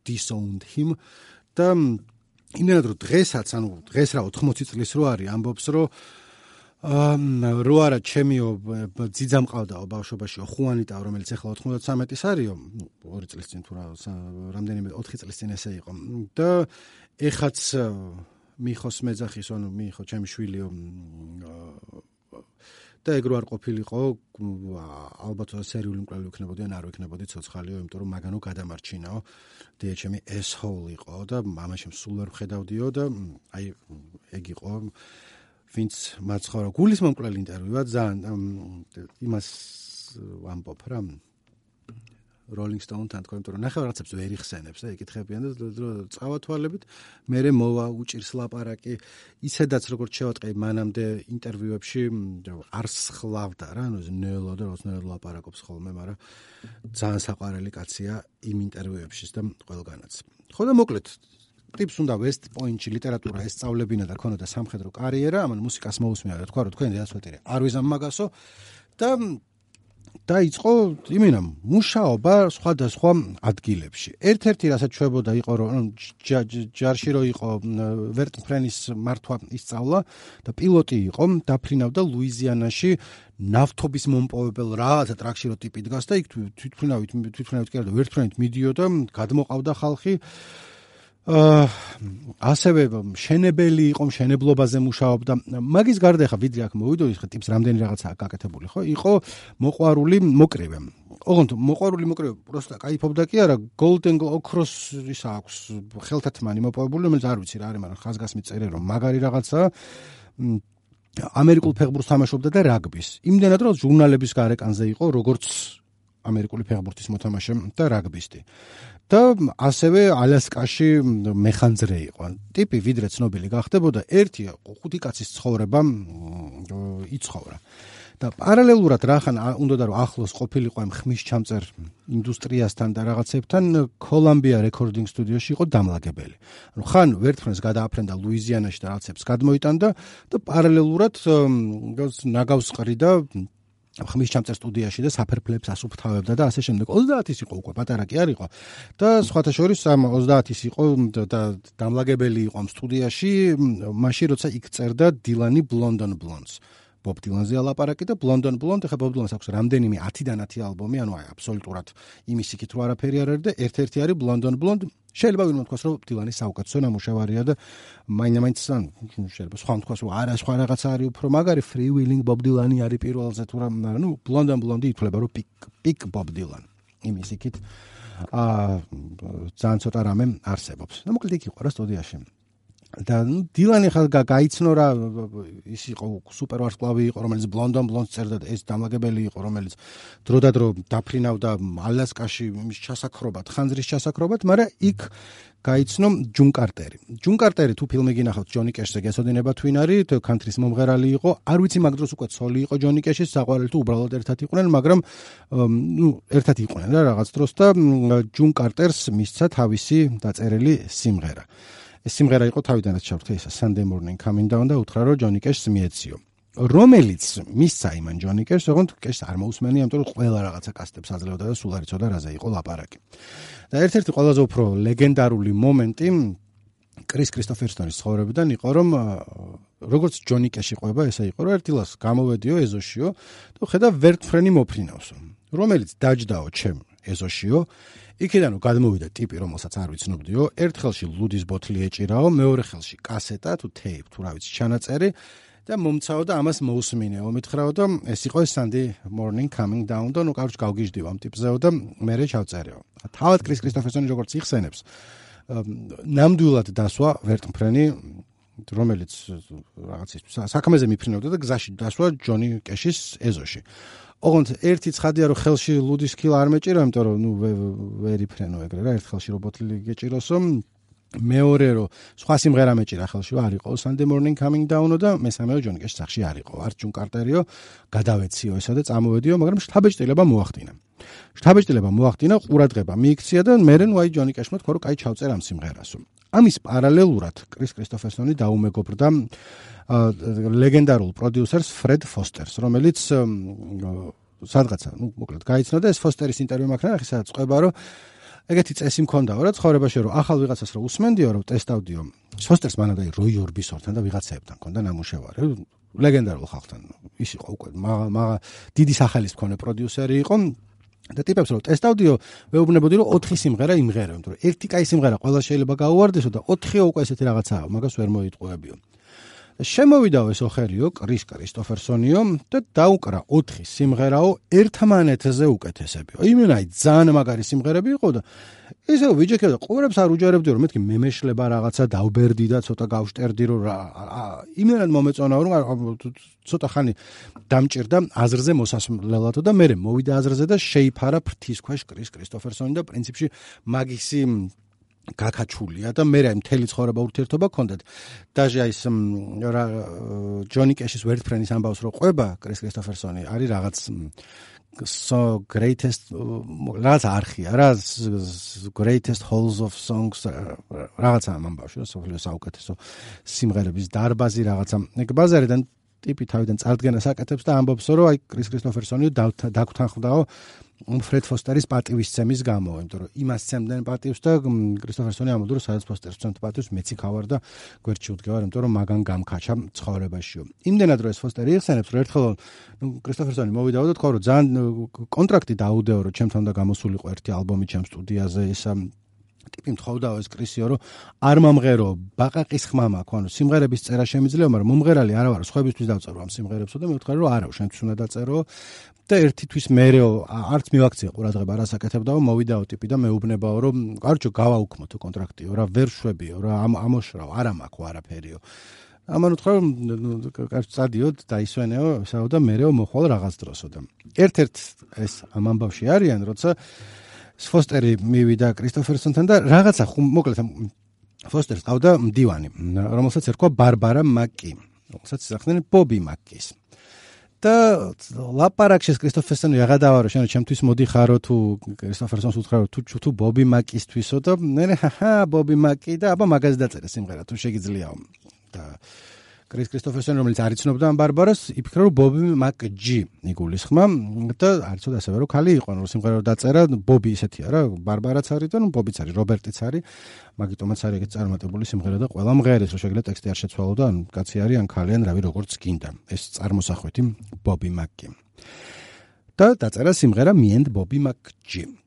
S1: disowned him და იმენად რომ დღესაც ანუ დღეს რა 80 წლის რო არის ამბობს რომ რო არა ჩემიო ძიძა მყავდაო ბავშვობაშიო ხუანიტა რომელიც ახლა 93-ის არისო 2 წლის წინ თუ რამდენიმე 4 წლის წინ ესე იყო და ეხაც მიხოს მეძახის ანუ მიხო ჩემი შვილიო და ეგ რო არ ყოფილიყო ალბათ სერიული მკვლელი ვიქნებოდი ან არ ვიქნებოდი ცოცხალიო იმიტომ რომ მაგანო გადამარჩინაო დიე ჩემი asshole იყო და მამაშემ სულ ვერ ვხედავდიო და აი ეგ იყო ვინც მაცხოვრა გულისმომკვლელი ინტერვიუა ძალიან იმას ვამბობ რა Rolling Stone-თან თქვენ რომ ნახე რაღაცებს ვერ იხსენებს და იკითხებიან და წავათვალებით მერე მოვა უჭირს ლაპარაკი ისედაც როგორც შევატყე მანამდე ინტერვიუებში არ სხლავდა რა ანუ ნელო და როცა ლაპარაკობს ხოლმე მაგრამ ძალიან საყვარელი კაცია იმ ინტერვიუებში და ყველგანაც ხო და მოკლედ ტიპს უნდა West Point-ში ლიტერატურა ესწავლებინა და ქონოდა სამხედრო კარიერა, ამან მუსიკას მოусმენა და თქვა რომ თქვენ დედაცვეთირე არ ვიზამ მაგასო და დაიწყო იმენა მუშაობა სხვადასხვა ადგილებში. ერთ-ერთი რასაც ჩვებოდა იყო რომ ჯარში რო იყო ვერტმფრენის მართვა ისწავლა და პილოტი იყო, დაფრინავდა ლუიზიანაში ნავთობის მომპოვებელ რაღაცა ტრაქში რო ტიპი დგას და იქ თვითმფრინავით კი არა და ვერტმფრენით მიდიოდა, გადმოყავდა ხალხი. ასევე მშენებელი იყო, მშენებლობაზე მუშაობდა. მაგის გარდა ხა ვიდრე აქ მოვიდოდი, ხა ტიპს რამდენი რაღაცაა გაკეთებული, ხო? იყო მოყვარული მოკრივე. ოღონდ მოყვარული მოკრივე პროსტა кайფობდა კი არა, Golden ოქროს ისა აქვს ხელთათმანი მოპოვებული, რომელიც არ ვიცი რა არის, მაგრამ ხაზგასმით წერე რომ მაგარი რაღაცაა. ამერიკულ ფეხბურთს თამაშობდა და რაგბის. იმდენად რომ ჟურნალების გარეკანზე იყო როგორც ამერიკული ფეხბურთის მოთამაშე და რაგბისტი. და ასევე ალასკაში მეხანძრე იყო. ტიპი ვიდრე ცნობილი გახდებოდა, ერთი 5 კაცის ცხოვრება იცხოვრა. და პარალელურად რახან უნდოდა რომ ახლოს ყოფილიყო ამ ხმის ჩამწერ ინდუსტრიასთან და რაღაცებთან, კოლუმბია რეკორდინგ სტუდიოში იყო დამლაგებელი. ანუ ხან ვერტმფრენს გადააფრენდა ლუიზიანაში და რაღაცებს გადმოიტანდა და პარალელურად ნაგავს ყრიდა ხმის ჩამწერ სტუდიაში და საფერფლებს ასუფთავებდა და ასე შემდეგ. 30-ის იყო უკვე, პატარა კი არ იყო. და სხვათა შორის ამ 30-ის იყო და დამლაგებელი იყო ამ სტუდიაში, მაშინ როცა იქ წერდა დილანი Blondon Blondes. ბობ დილანზე ალაპარაკი და Blondon Blonde, ხა ბობ დილანს აქვს რამდენიმე 10-დან 10 ალბომი, ანუ აი აბსოლუტურად იმის იქით რო არაფერი არ არის და ერთ-ერთი არის Blondon Blonde. შეიძლება ვინმე თქვას რომ დილანის საუკეთესო ნამუშევარია და მაინც შეიძლება სხვა თქვას რომ არა სხვა რაღაცა არის უფრო მაგარი Free Willing Bob Dylan არის პირველზე თუ რა, ну Blondon Blonde ითვლება რომ პიკ Bob Dylan. იმის იქით ძალიან ცოტა რამე არსებობს. და მოკლედ იქ იყო რა სტუდიაში. და დილანი ხალ გაიცნო რა, ის იყო სუპერ ვარსკვლავი იყო, რომელიც Blondon Blondes წერდა და ეს დამლაგებელი იყო, რომელიც დროდადრო დაფრინავდა ალასკაში იმის ჩასაქრობად, ხანძრის ჩასაქრობად, მაგრამ იქ გაიცნო ჯუნ კარტერი. ჯუნ კარტერი თუ ფილმი გინახავთ ჯონი კეშზე გესოდინება თუ ვინ არის, კანტრის მომღერალი იყო, არ ვიცი მაგ დროს უკვე ცოლი იყო ჯონი კეშის, საყვარელი თუ უბრალოდ ერთად იყვნენ, მაგრამ ერთად იყვნენ რა რაღაც დროს და ჯუნ კარტერს მისცა თავისი დაწერილი სიმღერა. ეს სიმღერა იყო თავიდანაც ჩავთქე ისა Sunday Morning Coming Down და უთხრა რომ ჯონი კეშს მიეციო. რომელიც მისცა იმან ჯონი კეშს, ოღონდ კეშს არ მოусმენი, ამიტომ რომ ყველა რაღაცა კასტებს აძლევდა და სულ არ იცოდა რაზე იყო ლაპარაკი. და ერთ-ერთი ყველაზე უფრო ლეგენდარული მომენტი კრის კრისტოფერსონის ცხოვრებიდან იყო, რომ როგორც ჯონი კეში ყვება, ესე იყო, რომ ერთ დილას გამოვედიო ეზოშიო და ხედა ვერტმფრენი მოფრინავსო, რომელიც დაჯდაო ჩემ ეზოშიო. იქიდან გადმოვიდა ტიპი, რომელსაც არ ვიცნობდიო, ერთ ხელში ლუდის ბოთლი ეჭირაო, მეორე ხელში კასეტა თუ ტეიპ თუ რა ვიცი ჩანაწერი და მომცაო და ამას მოусმინეო, მითხრაო და ეს იყო Sunday Morning Coming Down და ნუ კაროჩ გავგიჟდიო ამ ტიპზეო და მე ჩავწერეო. თავად კრის კრისტოფერსონი როგორც იხსენებს, ნამდვილად დასვა ვერტმფრენი, რომელიც რაღაცის საქმეზე მიფრინავდა და გზაში დასვა ჯონი კეშის ეზოში. ოღონდ ერთი ცხადია რომ ხელში ლუდის ქილა არ მეჭირა, იმიტომ რომ ნუ ვერ იფრენო ეგრე რა, ერთ ხელში რო ბოთლი გეჭიროსო, მეორე რომ სხვა სიმღერა მეჭირა ხელში არ იყო Sunday Morning Coming Down და მესამეო ჯონი კეშის სახში არ იყო. არ ჯუნ კარტერიო გადავეციო ესა და წამოვედიო, მაგრამ შთაბეჭდილება მოახდინა. შთაბეჭდილება მოახდინა, ყურადღება მიიქცია და მერე ნუ აი ჯონი კეშმა თქვა რომ კაი ჩავწერ ამ სიმღერასო. ამის პარალელურად კრის კრისტოფერსონი დაუმეგობრდა ლეგენდარულ პროდიუსერს ფრედ ფოსტერს, რომელიც სადღაცა, ну, მოკლედ გაიცნო და ეს ფოსტერის ინტერვიუ მაქვს ნახე, სადაც ყვება რომ ეგეთი წესი მქონდაო რა ცხოვრებაში, რომ ახალ ვიღაცას რო უსმენდიო, რომ ტესტავდიო. ფოსტერს მანამდე როი ორბისორთან და ვიღაცებთან მქონდა ნამუშევარი, ლეგენდარულ ხალხთან. ის იყო უკვე მაგა დიდი სახელის მქონე პროდიუსერი იყო. და ტიპებს რომ ტესტავდიო, ვეუბნებოდი რომ 4 სიმღერა იმღერა, იმიტომ რომ ერთი კაი სიმღერა ყველა შეიძლება გაუვარდესო და 4-ო უკვე ესეთი რაღაცაა, მაგას ვერ მოიტყუებიო. შემოვიდაო ეს ოხერიო კრის კრისტოფერსონიო და დაუკრა 4 სიმღერაო ერთმანეთზე უკეთესებიო. იმენაი ძალიან მაგარი სიმღერები იყო და ისე ვიჯექებდა, ყურებს არ უჯერებდი რომ მეთქი მემეშლება რაღაცა დავბერდი და ცოტა გავშტერდი რომ იმენად მომეწონაო რომ ცოტა ხანი დამჭირდა აზრზე მოსასვლელად და მე მოვიდა აზრზე და შეიფარა ფრთის ქვეშ კრის კრისტოფერსონი და პრინციპში მაგისი გაკაჩულია და მე მთელი ცხოვრება ურთიერთობა გქონდათ. დაჟე აი ჯონი კეშის ვერტმფრენის ამბავს რო ყვება კრის კრისტოფერსონი არის რაღაც so greatest რაღაც არხია რა greatest halls of songs რაღაცა ამ ამბავში რა საუკეთესო სიმღერების დარბაზი რაღაცა ეგ ბაზარიდან ტიპი თავიდან წარდგენას აკეთებს და ამბობს, რომ აი კრის კრისტოფერსონი დაგვთანხმდაო ფრედ ფოსტერის პატივისცემის გამო, იმიტომ რომ იმას ცემდნენ პატივს და კრისტოფერსონი ამბობდა, რომ სადაც ფოსტერს ცემთ პატივს, მეც იქ ავარ და გვერდში ვდგევარ, იმიტომ რომ მაგან გამქაჩა ცხოვრებაშიო. იმდენად რომ ეს ფოსტერი იხსენებს, რომ ერთხელ კრისტოფერსონი მოვიდაო და თქვა, რომ ძალიან კონტრაქტი დაუდეო, რომ ჩემთან უნდა გამოსულიყო ერთი ალბომი ჩემ სტუდიაზე, ისა ტიპი მთხოვდაო ეს კრისიო, რომ არ მომღერო, ბაყაყის ხმა მაქვს, ანუ სიმღერების წერა შემიძლია, მაგრამ მომღერალი არა ვარ, სხვებისთვის დავწერო ამ სიმღერებსო და მე ვთქვი, რომ არა, შენთვის უნდა დაწერო და ერთი თვის მერეო არც მივაქციე ყურადღება რას აკეთებდაო, მოვიდაო ტიპი და მეუბნებაო, რომ კარჩო გავაუქმოთო კონტრაქტიო, რა ვერ შვებიო, რა ამოშრავ, არა მაქვს არაფერიო. ამან უთხრა, რომ კარჩო წადიოდ, დაისვენეო, ესაო და მერეო მოხვალ რაღაც დროსო და ერთ-ერთ ეს ამ ამბავში არიან, როცა ფოსტერი მივიდა კრისტოფერსონთან და რაღაცა მოკლედ ფოსტერს ყავდა მდივანი, რომელსაც ერქვა ბარბარა მაკი, რომელსაც იზახდნენ ბობი მაკის. და ლაპარაკში კრისტოფერსონი აღადავარო, შენ ჩემთვის მოდიხარო თუ კრისტოფერსონს უთხრა თუ ბობი მაკისთვისო და მე ბობი მაკი და აბა მაგაზე დაწერე სიმღერა თუ შეგიძლიაო. და კრისტოფერსონი რომელიც არ იცნობდა ამ ბარბარას, იფიქრა რომ ბობი მაკჯი იგულისხმა და არ იცოდა ასევე რომ ქალი იყო, რომ სიმღერა დაწერა, ბობი ისეთია რა, ბარბარაც არის და ბობიც არის, რობერტიც არის, მაგიტომაც არის ეგეთ წარმატებული სიმღერა და ყველა მღერის რომ შეგიძლია ტექსტი არ შეცვალო და ან კაცი არის, ან ქალი, ან რავი როგორც გინდა. ეს წარმოსახვეთი ბობი მაკი. და დაწერა სიმღერა Me and Bobby McGee.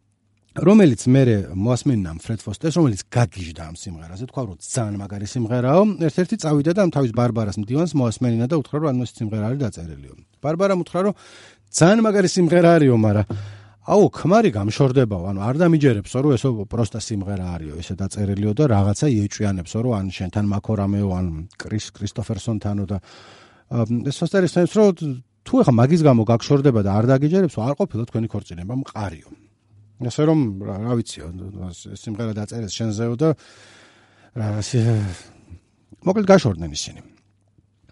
S1: რომელიც მე მოასმენნა ფრედ ფოსტერს, რომელიც გაგიჟდა ამ სიმღერაზე, თქვა რომ ძალიან მაგარი სიმღერაო, ერთ-ერთი წავიდა და ამ თავის ბარბარას მდივანს მოასმენინა და უთხრა რომ ანუ ეს სიმღერა არის დაწერილიო. ბარბარამ უთხრა რომ ძალიან მაგარი სიმღერა არისო, მაგრამ აუ ქმარი გამშორდებაო, ანუ არ დამიჯერებსო რომ ესო პროსტა სიმღერა არისო, ესე დაწერილიო და რაღაცა იეჭვიანებსო რომ ან შენთან მაქორამეო, ან კრისტოფერსონთანო და ეს ფოსტერი სცემს რომ თუ ეხა მაგის გამო გაგშორდება და არ დაგიჯერებსო, არ ყოფილა თქვენი ქორწინება მყარიო. ასე რომ რა ვიციო, სიმღერა დაწერეს შენზეო და მოკლედ გაშორდნენ ისინი.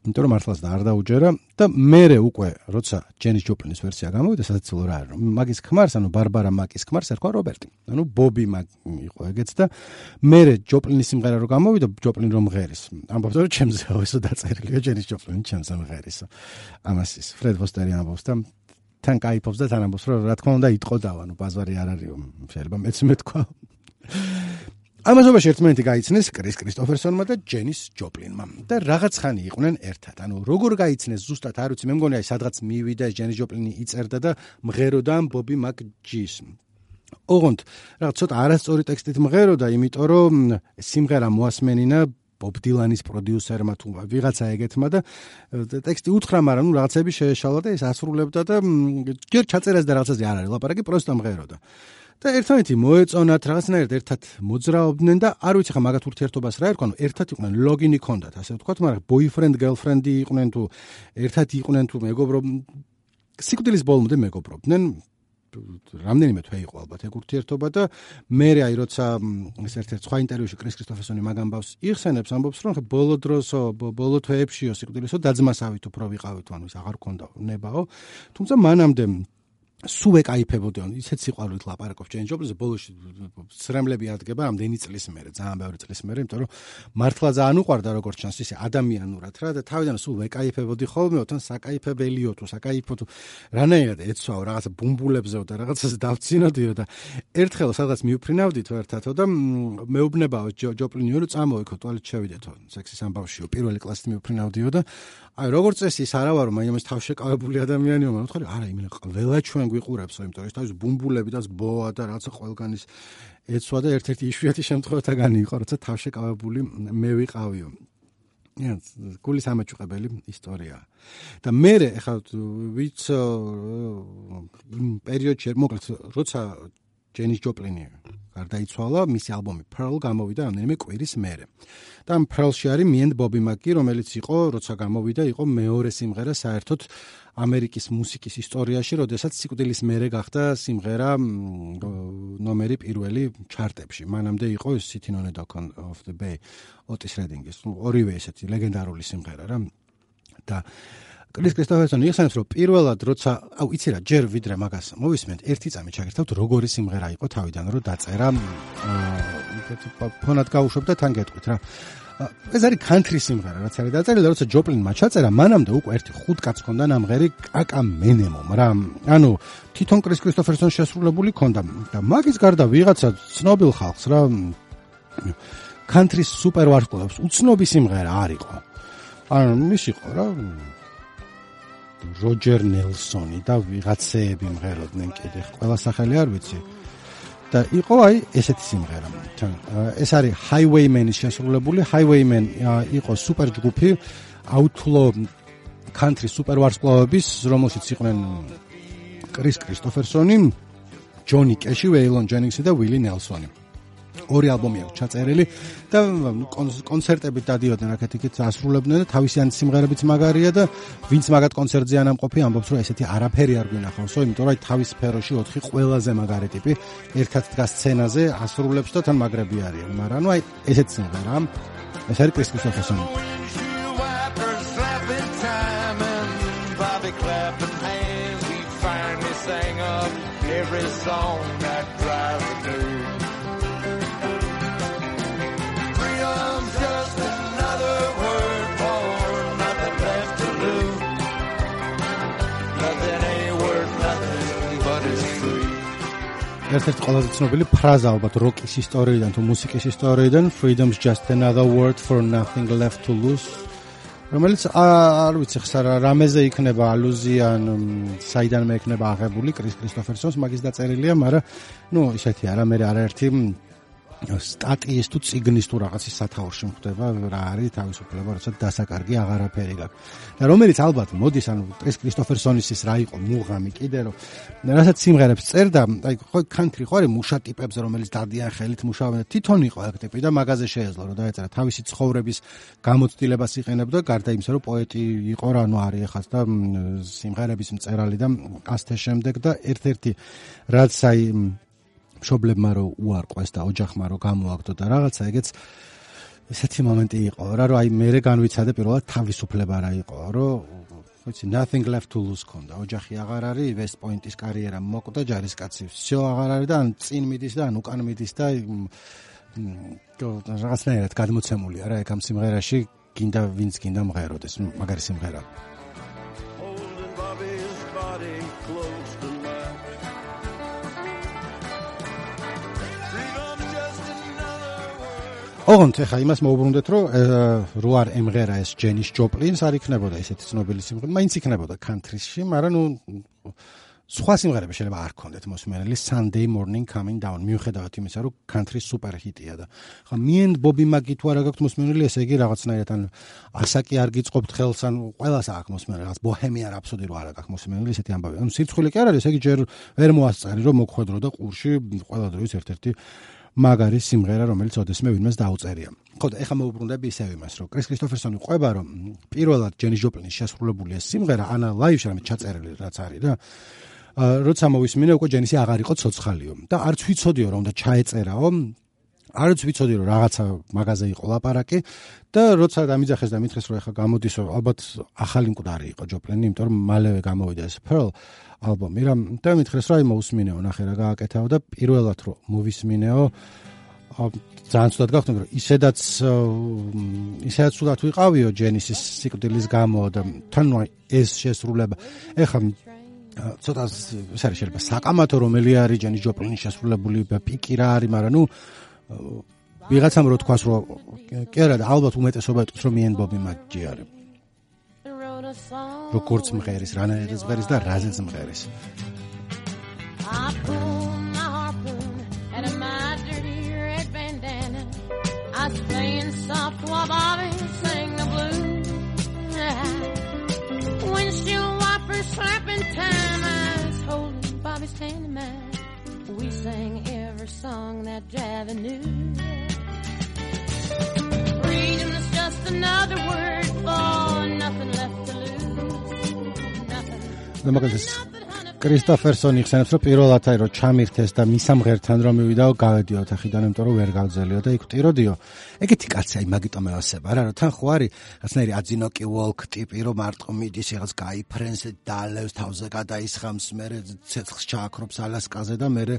S1: იმიტომ რომ მართლაც და არ დაუჯერა და მერე უკვე როცა ჯენის ჯოპლინის ვერსია გამოვიდა, სადაც რა არის, მაგის ქმარს, ანუ ბარბარა მაკის ქმარს ერქვა რობერტი. ანუ ბობი მაკი იყო ეგეც და მერე ჯოპლინის სიმღერა რო გამოვიდა, ჯოპლინი რომ ღერის. ამბობდა რომ ჩემზეო ესო დაწერილია ჯენის ჯოპლინი ჩემზე ღერისო. ამას ის ფრედ ფოსტერი ამბობს და თან кайფობს და თან ამბობს რომ რა თქმა უნდა იტყოდაო, ანუ ბაზარი არ არისო, შეიძლება მეც მეთქვა. ამასობაში ერთმანეთი გაიცნეს კრის კრისტოფერსონმა და ჯენის ჯოპლინმა და რაღაც ხანი იყვნენ ერთად. ანუ როგორ გაიცნეს ზუსტად არ ვიცი, მე მგონი აი სადღაც მივიდა ჯენის ჯოპლინი იწერდა და მღეროდა ბობი მაკჯის. ოღონდ რაღაც ცოტა არასწორი ტექსტით მღეროდა, იმიტომ რომ სიმღერა მოასმენინა ბობ დილანის პროდიუსერმა თუ ვიღაცა ეგეთმა და ტექსტი უთხრა, მაგრამ ნუ რაღაცები შეეშალა და ეს ასრულებდა და ჯერ ჩაწერას და რაღაცაზე არ არის ლაპარაკი, პროსტა მღეროდა. და ერთმანეთი მოეწონათ, რაღაცნაირად ერთად მოძრაობდნენ და არ ვიცი ხა მაგათ ურთიერთობას რა ერქვა, ანუ ერთად იყვნენ, ლოგინი ჰქონდათ, ასე ვთქვათ, მაგრამ boyfriend girlfriend იყვნენ თუ ერთად იყვნენ თუ მეგობრო, სიკვდილის ბოლომდე მეგობრობდნენ. რამდენიმე თვე იყო ალბათ ეგ ურთიერთობა და მე აი როცა ეს ერთ-ერთ სხვა ინტერვიუში კრის კრისტოფერსონი მაგ ამბავს იხსენებს, ამბობს რომ ბოლო დროსო, ბოლო თვეებშიო სიკვდილისო დაძმასავით უფრო ვიყავით, ანუ ის აღარ ქონდა ნებაო, თუმცა მანამდე სულ ეკაიფებოდი, ანუ ისეთ სიყვარულით ლაპარაკობს ჯეინ ჯოპლინზე, ბოლოში სრემლები ადგება ამდენი წლის მერე, ძალიან ბევრი წლის მერე, იმიტომ რომ მართლა ძალიან უყვარდა როგორც ჩანს ისე ადამიანურად რა და თავიდან სულ ეკაიფებოდი ხოლმე, თან საკაიფებელიო თუ საკაიფო თუ რანაირად ეცვაო რაღაცა ბუმბულებზეო და რაღაცას დავცინოდიო და ერთხელ სადღაც მივფრინავდითო ერთათო და მეუბნებაო ჯოპლინიო რომ წამოვიქო ტუალეტში შევიდეთო, სექსის ამბავშიო, პირველი კლასით მივფრინავდიო და აი როგორც წესი ის არა ვარო, მაინც თავშეკავებული ადამიანიო, მაგრამ თქვი არა, იმენა ყველა ჩვენ გვიყურებსო, იმიტომ რომ ეს თავის ბუმბულები და ბოა და რაღაცა ყველგანის ეცვა და ერთ-ერთი იშვიათი შემთხვევათაგანი იყო, როცა თავშეკავებული მე ვიყავიო. გულის ამაჭუყებელი ისტორია. და მე ეხლა ვიც იმ პერიოდში მოკლედ როცა ჯენის ჯოპლინი გარდაიცვალა, მისი ალბომი Pearl გამოვიდა რამდენიმე კვირის მერე. და ამ Pearl-ში არის Me and Bobby McGee, რომელიც იყო, როცა გამოვიდა, იყო მეორე სიმღერა საერთოდ ამერიკის მუსიკის ისტორიაში, როდესაც სიკვდილის მერე გახდა სიმღერა ნომერი პირველი ჩარტებში. მანამდე იყო Sitting on a Dock of the Bay, ოტის რედინგის, ორივე ესეთი ლეგენდარული სიმღერა რა. და კრის კრისტოფერსონი იხსენებს, რომ პირველად როცა, აუ იცი რა, ჯერ ვიდრე მაგას მოვისმენთ, ერთი წამი ჩაგერთავთ, როგორი სიმღერა იყო თავიდან, რომ დაწერა ფონად გავუშვებ და თან გეტყვით რა. ეს არის country სიმღერა, რაც არის დაწერილი, როცა ჯოპლინმა ჩაწერა, მანამდე უკვე ერთი 5 კაცს ჰქონდა ნამღერი კაკა მენემომ რა. ანუ თვითონ კრის კრისტოფერსონს შესრულებული ჰქონდა და მაგის გარდა ვიღაცა ცნობილ ხალხს რა country super ვარსკვლავს უცნობი სიმღერა არისო. ანუ ის იყო რა როჯერ ნელსონი და ვიღაცეები მღეროდნენ კიდე ყველა სახელი არ ვიცი. და იყო აი ესეთი სიმღერა. ეს არის Highwayman-ის შესრულებული. Highwayman იყო სუპერ ჯგუფი outlaw country super ვარსკვლავების, რომელშიც იყვნენ კრის კრისტოფერსონი, ჯონი კეში, ვეილონ ჯენინგსი და ვილი ნელსონი. ორი ალბომი აქვს ჩაწერილი და კონცერტებით დადიოდნენ აქეთ-იქით ასრულებდნენ და თავისიანი სიმღერებიც მაგარია და ვინც მაგათ კონცერტზე ანამყოფი ამბობს რომ ესეთი არაფერი არ გვინახავსო, იმიტომ რომ თავის სფეროში 4 ყველაზე მაგარი ტიპი ერთად დგას სცენაზე ასრულებს და თან მაგრები არიან, მაგრამ ნუ აი ესეთი სიმღერა. ეს არის კრის კრისტოფერსონი. Every song that drives me through. Freedom's just another word for nothing left to lose. Nothing ain't worth nothing but it's free. ერთ-ერთი ყველაზე ცნობილი ფრაზა ალბათ როკის ისტორიიდან თუ მუსიკის ისტორიიდან Freedom's just another word for nothing left to lose. რომელიც არ ვიცი ხსა რამეზე იქნება ალუზია ან საიდანმე იქნება აღებული კრის კრისტოფერსონს მაგის დაწერილია, მაგრამ ნუ ისეთი არა მე არაერთი სტატიის თუ წიგნის თუ რაღაცის სათაურში მხდება რა არის თავისუფლება, როცა დასაკარგი აღარაფერი გაქვს. და რომელიც ალბათ მოდის ანუ კრის კრისტოფერსონის ის რა იყო მუღამი კიდე რომ რასაც სიმღერებს წერდა, აი ხო country ხო არის მუშა ტიპებზე რომელიც დადიან ხელით მუშაობენ და თვითონ იყო აქ ტიპი და მაგაზე შეეძლო რომ დაეწერა თავისი ცხოვრების გამოცდილებას იყენებდა გარდა იმისა რომ პოეტი იყო რა ნუ არის ახაც და სიმღერების მწერალი და ასთე შემდეგ და ერთ-ერთი რაც აი მშობლებმა რო უარყვეს და ოჯახმა რო გამოაგდო და რაღაცა ეგეც ესეთი მომენტი იყო რა რომ აი მე განვიცადე პირველად თავისუფლება რა იყო რომ ვიცი nothing left to lose ქონდა ოჯახი აღარ არის West Point-ის კარიერა მოკვდა ჯარისკაცი всё აღარ არის და ან წინ მიდის და ან უკან მიდის და რაღაცნაირად გადმოცემულია რა ეგ ამ სიმღერაში გინდა ვინც გინდა მღეროდეს მაგარი სიმღერა ოღონდ ეხა იმას მოუბრუნდეთ რომ რო არ ემღერა ეს ჯენის ჯოპლინს არ იქნებოდა ესეთი ცნობილი სიმღერა მაინც იქნებოდა country-ში მაგრამ ნუ სხვა სიმღერები შეიძლება არ ქონდეთ მოსმენელი Sunday Morning Coming Down მიუხედავად იმისა რომ country super hit-ია და ხა me and Bobby McGee თუ არა გაქვთ მოსმენელი ესე იგი რაღაცნაირად ან ასაკი არ გიწყობთ ხელს ან ყველას აქვს მოსმენელი რაღაც Bohemian Rhapsody რო არა გაქვთ მოსმენელი ესეთი ამბავი ანუ სირცხვილი კი არ არის ესე იგი ჯერ ვერ მოასწარი რომ მოგხვედრო და ყურში ყველა დროის ერთ-ერთი მაგარი სიმღერა რომელიც ოდესმე ვინმეს დაუწერია. ხო და ეხლა მოვუბრუნდები ისევ იმას რომ კრის კრისტოფერსონი ყვება რომ პირველად ჯენის ჯოპლინის შესრულებული ეს სიმღერა ანა ლაივში რამე ჩაწერილი რაც არის რა როცა მოვისმინე უკვე ჯენისი აღარ იყო ცოცხალიო და არც ვიცოდიო რომ და ჩაეწერაო არც ვიცოდი რომ რაღაცა მაღაზე იყო ლაპარაკი და როცა დამიძახეს და მითხეს რომ ეხლა გამოდისო ალბათ ახალი მკვდარი იყო ჯოპლინი იმიტომ რომ მალევე გამოვიდა ეს Pearl ალბომი რა და მითხეს რომ აი მოусმინეო ნახე რა გააკეთაო და პირველად რომ მოვისმინეო ძალიან ცუდად გავხდები რომ ისედაც ცუდად ვიყავიო ჯენისის სიკვდილის გამო და თან ეს შესრულება ეხლა ცოტა ეს არის შეიძლება საკამათო რომელი არის ჯენის ჯოპლინის შესრულებული პიკი რა არის მაგრამ ნუ ვიღაცამ რო თქვას რომ კი არა და ალბათ უმეტესობა იტყვის რომ me and Bobby McGee არის როგორც მღერის რანაირად მღერის და რაზეც მღერის I was playing soft while Bobby sang the blues windshield wipers slapping time I was holding Bobby's hand in mine we sang every song that Javi knew freedom is just another word for nothing left to lose nothing კრისტოფერსონი ხსენებს, რომ პირველად რომ ჩამირთეს და მისამღერთან რომ მივიდაო, გავედიო ოთახიდან, იმიტომ რომ ვერ გავძელიო და იქ ვტიროდიო. ეგეთი კაცი აი მაგიტომ ევასება რა, რომ თან ხო არის რაცნაირი აძინოკი ვოლკ ტიპი, რომ მარტო მიდის რაღაც გაიფრენს, დალევს თავზე გადაისხამს, მერე ცეცხლს ჩააქრობს ალასკაზე და მერე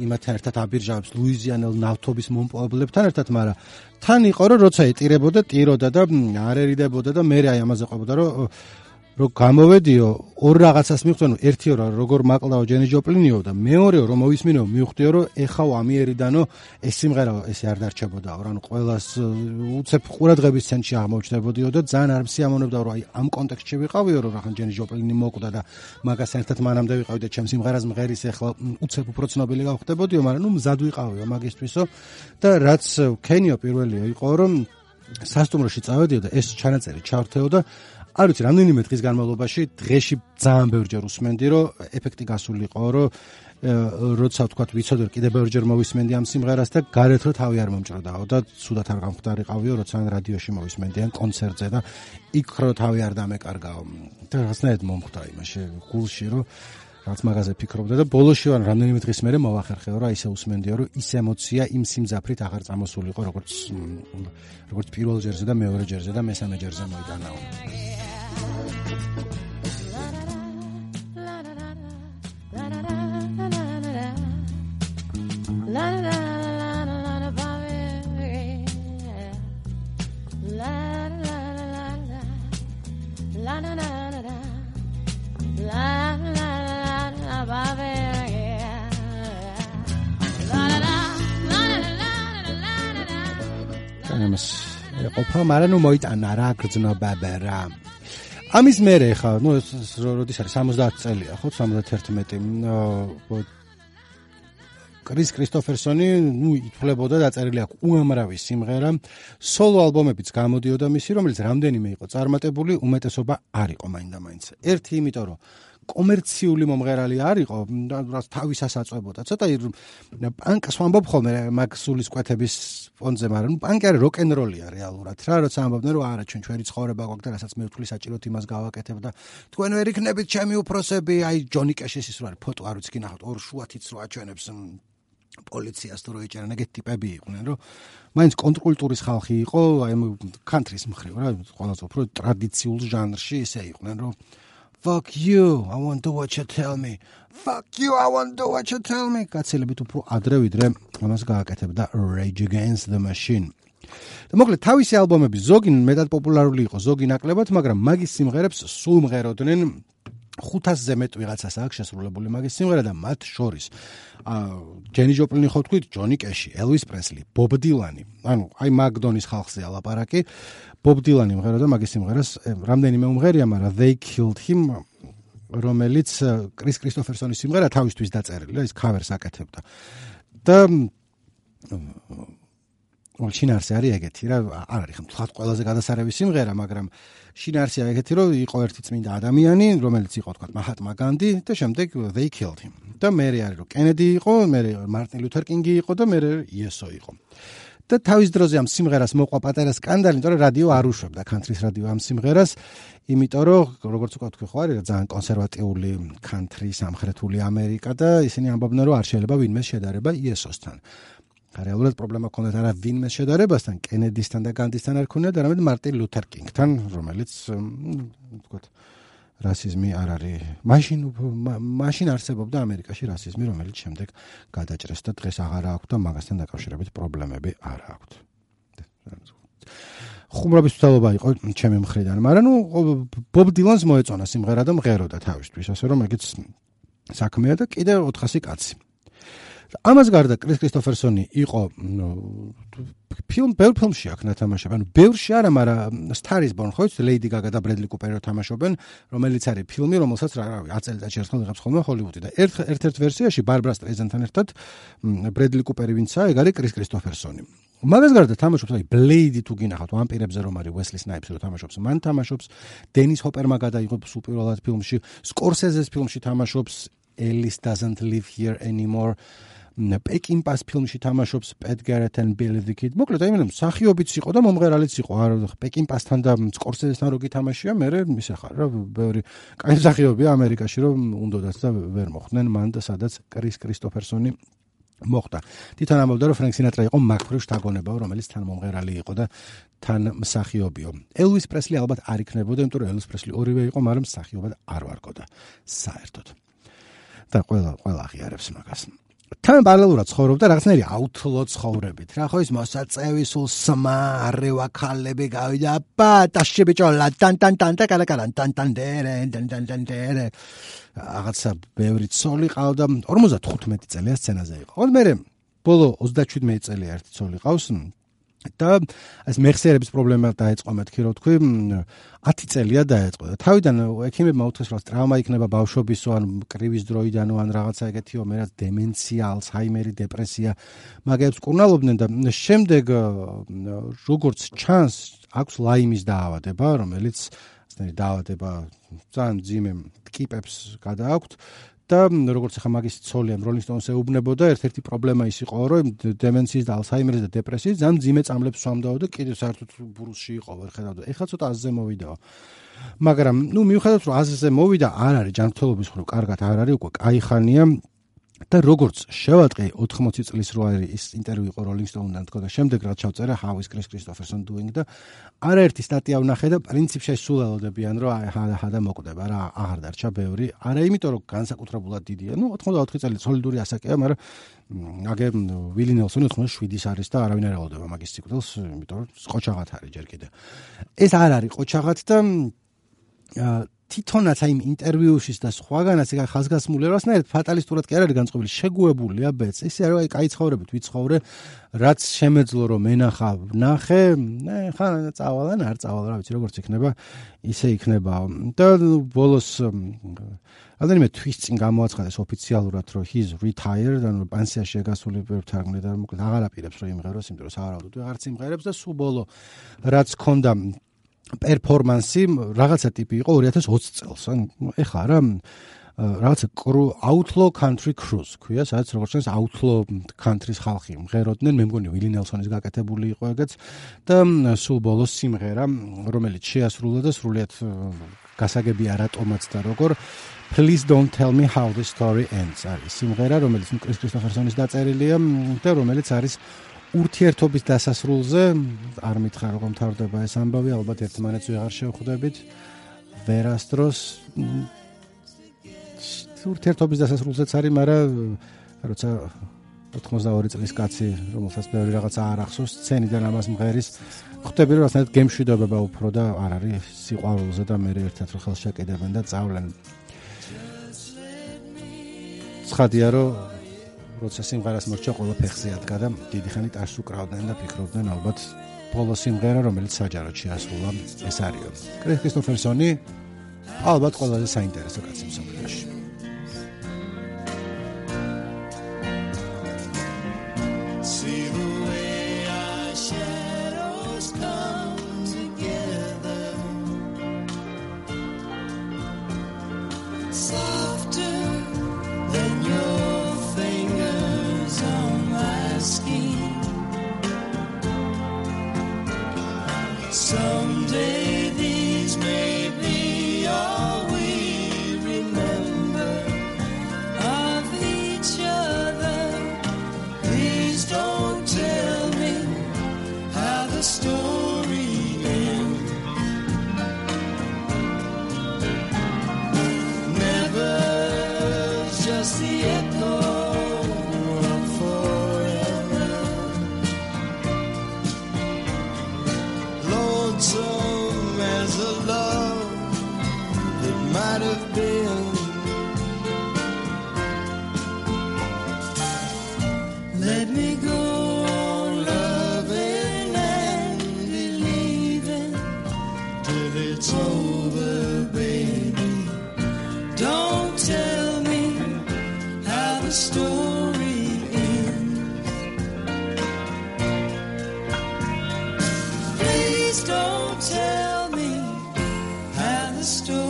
S1: იმათთან ერთად აბირჟავებს ლუიზიანელ ნავთობის მომპოვებლებთან ერთად, მაგრამ თან იყო რომ როცა ეტირებოდა, ტიროდა და არ ერიდებოდა და მერე აი ამაზე ყვებოდა რომ გამოვედიო ორ რაღაცას მივხვდენო, ერთი რა როგორ მაკლდაო ჯენი ჯოპლინიო და მეორეო რომ მოვისმინო მივხვდიო რომ ეხავ ამიერიდანო ეს სიმღერა ესე არ დარჩებოდაო რა, ანუ ყველას უცებ ყურადღების ცენტრში აღმოჩნდებოდიო და ძალიან არ მსიამოვნებდა რომ აი ამ კონტექსტში ვიყავიო რომ რახან ჯენი ჯოპლინი მოკვდა და მაგასთან ერთად მანამდე ვიყავი და ჩემს სიმღერას მღერის ეხლა უცებ უფრო ცნობილი გავხდებოდიო, მაგრამ ნუ მზად ვიყავიო მაგისთვისო და რაც ქენიო პირველია იყო რომ სასტუმროში წავედიო და ეს ჩანაწერი ჩავრთეო და არ ვიცი, რამდენიმე დღის განმავლობაში დღეში ძალიან ბევრჯერ უსმენდი, რომ ეფექტი გასულიყო, რომ როცა ვთქვათ, ვიცოდი, რომ კიდე ბევრჯერ მოვისმენდი ამ სიმღერას და გარეთ რომ თავი არ მომჭრდაო და სუდათ არ გამხდარიყავიო, როცა რადიოში მოვისმენდი ან კონცერტზე და იქ რომ თავი არ დამეკარგაო. და რაღაცნაირად მომხვდა იმაში გულში, რომ რაც მაგაზე ფიქრობდა და ბოლოში ვარ რამდენიმე დღის მერე მოვახერხეო, რა ისე უსმენდიო, რომ ის ემოცია იმ სიმძაფრით აღარ წამოსულიყო, როგორც პირველ ჯერზე და მეორე ჯერზე და მესამე ჯერზე მოიტანაო. ყოფა, მაგრამ ნუ მოიტანა რა გრძნობა რა. ამის მერე ხა, ნუ როდის არის 70 წელია, ხო, 71. კრის კრისტოფერსონი, ნუ ითვლებოდა დაწერილი აქვს უამრავი სიმღერა, სოლო ალბომებიც გამოდიოდა მისი, რომელიც რამდენიმე იყო წარმატებული, უმეტესობა არ იყო მაინდა-მაინც. ერთი იმიტომ რომ კომერციული მომღერალი არ იყო, რაც თავისას აწვებოდა. ცოტა პანკს ვამბობ ხოლმე მაგ სულის კვეთების ფონზე, მაგრამ პანკი არის როკ-ენ-როლია რეალურად. რა როცა ამბობდნენ რომ არა ჩვენ ჩვენი ცხოვრება გვაქვს და რასაც მე ვთვლი საჭიროდ იმას გავაკეთებ და თქვენ ვერ იქნებით ჩემი უფროსები, აი ჯონი კეშის ის რო არის ფოტო არ ვიცი კი ნახოთ ორ შუათიც რო აჩვენებს პოლიციას თუ რო ეჭერენ, ეგეთი ტიპები იყვნენ, რომ მაინც კონტრკულტურის ხალხი იყო, აი კანტრის მხრივ რა, ყველაზე უფრო ტრადიციულ ჟანრში ისე იყვნენ, რომ fuck you, I want to do what you tell me. Fuck you, I want to do what you tell me. კაცელებით უფრო ადრე ვიდრე ამას გააკეთებდა Rage Against the Machine. და მოკლედ თავისი ალბომები ზოგი მეტად პოპულარული იყო, ზოგი ნაკლებად, მაგრამ მაგის სიმღერებს სულ მღეროდნენ 500-ზე მეტ ვიღაცას აქვს შესრულებული მაგის სიმღერა და მათ შორის ჯენი ჯოპლინი ხო თქვით, ჯონი კეში, ელვის პრესლი, ბობ დილანი. ანუ აი მაგდონის ხალხზეა ლაპარაკი. ბობ დილანი მღეროდა მაგის სიმღერას, რამდენიმე უმღერია, მაგრამ They Killed Him, რომელიც კრის კრისტოფერსონის სიმღერა თავისთვის დაწერილი, ის ქავერს აკეთებდა. და შინაარსი არის ეგეთი რა, არ არის ხმ ყველაზე გადასარევი სიმღერა, მაგრამ შინაარსია ეგეთი, რომ იყო ერთი წმინდა ადამიანი, რომელიც იყო თქვა მაჰატმა განდი და შემდეგ They Killed Him. და მერე არის რომ კენედი იყო, მერე მარტინ ლუთერ კინგი იყო და მერე იესო იყო. და თავის დროზე ამ სიმღერას მოყვა პატარა სკანდალი, იმიტომ რომ რადიო არ უშვებდა, country-ს რადიო ამ სიმღერას, იმიტომ რომ როგორც უკვე თქვი ხო არის ძალიან კონსერვატიული country, სამხრეთული ამერიკა და ისინი ამბობდნენ რომ არ შეიძლება ვინმეს შედარება იესოსთან. რეალურად პრობლემა ჰქონდათ არა ვინმეს შედარებასთან, კენედისთან და განდისთან არ ჰქონდათ, არამედ მარტინ ლუთერ კინგთან, რომელიც ვთქვათ რასიზმი არ არის. მაშინ არსებობდა ამერიკაში რასიზმი, რომელიც შემდეგ გადაჭრეს და დღეს აღარ აქვს და მაგასთან დაკავშირებით პრობლემები არ აქვს. ხუმრობის მცდელობა იყო ჩემი მხრიდან, მაგრამ ნუ ბობ დილანს მოეწონა სიმღერა და მღეროდა თავისთვის, ასე რომ ეგეც საქმეა და კიდე 400 კაცი. ამას გარდა კრის კრისტოფერსონი იყო ბევრ ფილმში აქ ნათამაშები, ანუ ბევრში არა, მაგრამ Star is Born, ხო იცით, ლეიდი გაგა და ბრედლი კუპერი თამაშობენ, რომელიც არის ფილმი, რომელსაც რავი, აწელიწადში ერთხელ იღებს ხოლმე ჰოლივუდი და ერთ-ერთ ვერსიაში ბარბრა სტრეიზენთან ერთად ბრედლი კუპერი ვინცაა, ეგ არის კრის კრისტოფერსონი. მაგას გარდა თამაშობს, აი ბლეიდი თუ გინახავთ, ვამპირებზე რომ არის უესლი სნაიპსი რომ თამაშობს, მან თამაშობს, დენის ჰოპერმა გადაიღოს უპირველად ფილმში, სკორსეზეს ფილმში თამაშობს, Alice Doesn't Live Here Anymore. პეკინ პას ფილმში თამაშობს Pat Garrett and Billy the Kid. მოკლედ, აი მე მსახიობიც იყო და მომღერალიც იყო. არ პეკინ პასთან და სკორსეზესთან რო გითამაშია, მე ისე ხარ რა, ბევრი კაი მსახიობია ამერიკაში, რომ უნდოდაც და ვერ მოხდნენ მან და სადაც კრის კრისტოფერსონი მოხდა. თვითონ ამბობდა, რომ ფრენკ სინატრა იყო მაგფრივ შთაგონებაო, რომელიც თან მომღერალი იყო და თან მსახიობიო. ელვის პრესლი ალბათ არ იქნებოდა, იმიტომ რომ ელვის პრესლი ორივე იყო, მაგრამ მსახიობად არ ვარგოდა საერთოდ. და ყველა აღიარებს მაგას. თან პარალელურად ცხოვრობდა რაღაცნაირი აუთლო ცხოვრებით. რა ხო ის მოსაწევი სულ სმა არევა ქალები გავიდა პატაში ბიჭოლა ტან და კალაკალან რაღაცა ბევრი ცოლი ყავდა 55 წელია სცენაზე იყო. მე ბოლო 37 წელია ერთი ცოლი ყავს და ეს მეხსიერების პრობლემა დაეწყო მეთქი რო თქვი 10 წელია დაეწყო და თავიდან ექიმებმა უთხრეს რომ ტრავმა იქნება ბავშვობისო ან კრივის დროიდანო ან რაღაცა ეგეთიო მე რაც დემენცია, ალცჰაიმერი, დეპრესია მაგებს კურნალობდნენ და შემდეგ როგორც ჩანს აქვს ლაიმის დაავადება რომელიც ასეთი დაავადება ძალიან ძიმე ტკიპებს გადააქვთ და როგორც ახლა მაგის ცოლია Rolling Stones ეუბნებოდა ერთ-ერთი პრობლემა ის იყო რომ დემენციის და ალცჰაიმერის და დეპრესიის ძალიან ძიმე წამლებს სვამდაო და კიდევ საერთოდ ბრუსში იყო ვერ ხედავდა. ეხლა ცოტა აზზე მოვიდაო. მაგრამ მიუხედავად რომ აზზე მოვიდა არ არის ჯანმრთელობის მხრივ კარგად არ არის უკვე კაი ხანია და როგორც შევატყი 80 წლის რო არის ის ინტერვიუ იყო Rolling Stone-დან თქო და შემდეგ რაც ჩავწერე How is Chris Christopherson doing და არაერთი სტატია ვნახე და პრინციპში სულ ელოდებიან რომ და მოკვდება რა აღარ დარჩა ბევრი არა იმიტომ რომ განსაკუთრებულად დიდია 84 წელი სოლიდური ასაკია მაგრამ აგერ ვილი ნელსონი 87-ის არის და არავინ არ ელოდება მაგის სიკვდილს იმიტომ რომ ყოჩაღად არის ჯერ კიდე ეს არ არის ყოჩაღად და თვითონაც აი ინტერვიუშის და სხვაგანაც ეგ ხაზგასმული რასნაირად ფატალისტურად კი არ არის განწყობილი შეგუებულია ბეც ისე რომ აი კაი ცხოვრებით ვიცხოვრე რაც შემეძლო რომ ენახა ნახე ხან წავალან არ წავალ რა ვიცი როგორც იქნება ისე იქნება და ბოლოს ადრე თვის წინ გამოაცხადეს ოფიციალურად რომ he's retired და პანსიაში გასული ვერთარგმნე და მოკლედ აღარ აპირებს რომ იმღეროს იმიტომ რომ სავარაუდოდ ვეღარც იმღერებს და სულ ბოლო რაც ქონდა პერფორმანსი რაღაცა ტიპი იყო 2020 წელს. ეხლა რა რაღაცა Outlaw Country Cruise ქვია, სადაც როგორც ჩანს Outlaw Country-ს ხალხი მღეროდნენ, მე მგონი ვილი ნელსონის გაკეთებული იყო ეგეც და სულ ბოლოს სიმღერა, რომელიც შეასრულა და სრულიად გასაგებია რატომაც და როგორ Please don't tell me how the story ends. არის სიმღერა, რომელიც კრის კრისტოფერსონის დაწერილია და რომელიც არის ურთიერთობის დასასრულზე არ მითხრა როგორ მთავრდება ეს ამბავი ალბათ ერთმანეთს ვეღარ შევხვდებით ვერასდროს ურთიერთობის დასასრულზეც არის მაგრამ როცა 82 წლის კაცი რომელსაც ბევრი რაღაცა არ ახსოვს სცენიდან ამას მღერის ხვდები რომ ასეთ გემშვიდობება უფრო და არ არის სიყვარულზე და მე ერთად რო ხელს შეკიდებენ და წავლენ ცხადია რომ როცა სიმღერას მორჩა ყველა ფეხზე ადგა და დიდი ხანი ტაშს უკრავდნენ და ფიქრობდნენ ალბათ ბოლო სიმღერა რომელიც საჯაროდ შეასრულა ეს არისო. კრის კრისტოფერსონი ალბათ ყველაზე საინტერესო კაცი მსოფლიოში.
S3: Someday these may be all we remember of each other. Please don't tell me how the story ends. Never just the echo of forever. Lonesome as a love that might have been. Let me go on loving and believing till it's over, baby. Don't tell me how the story ends. Please don't tell me how the story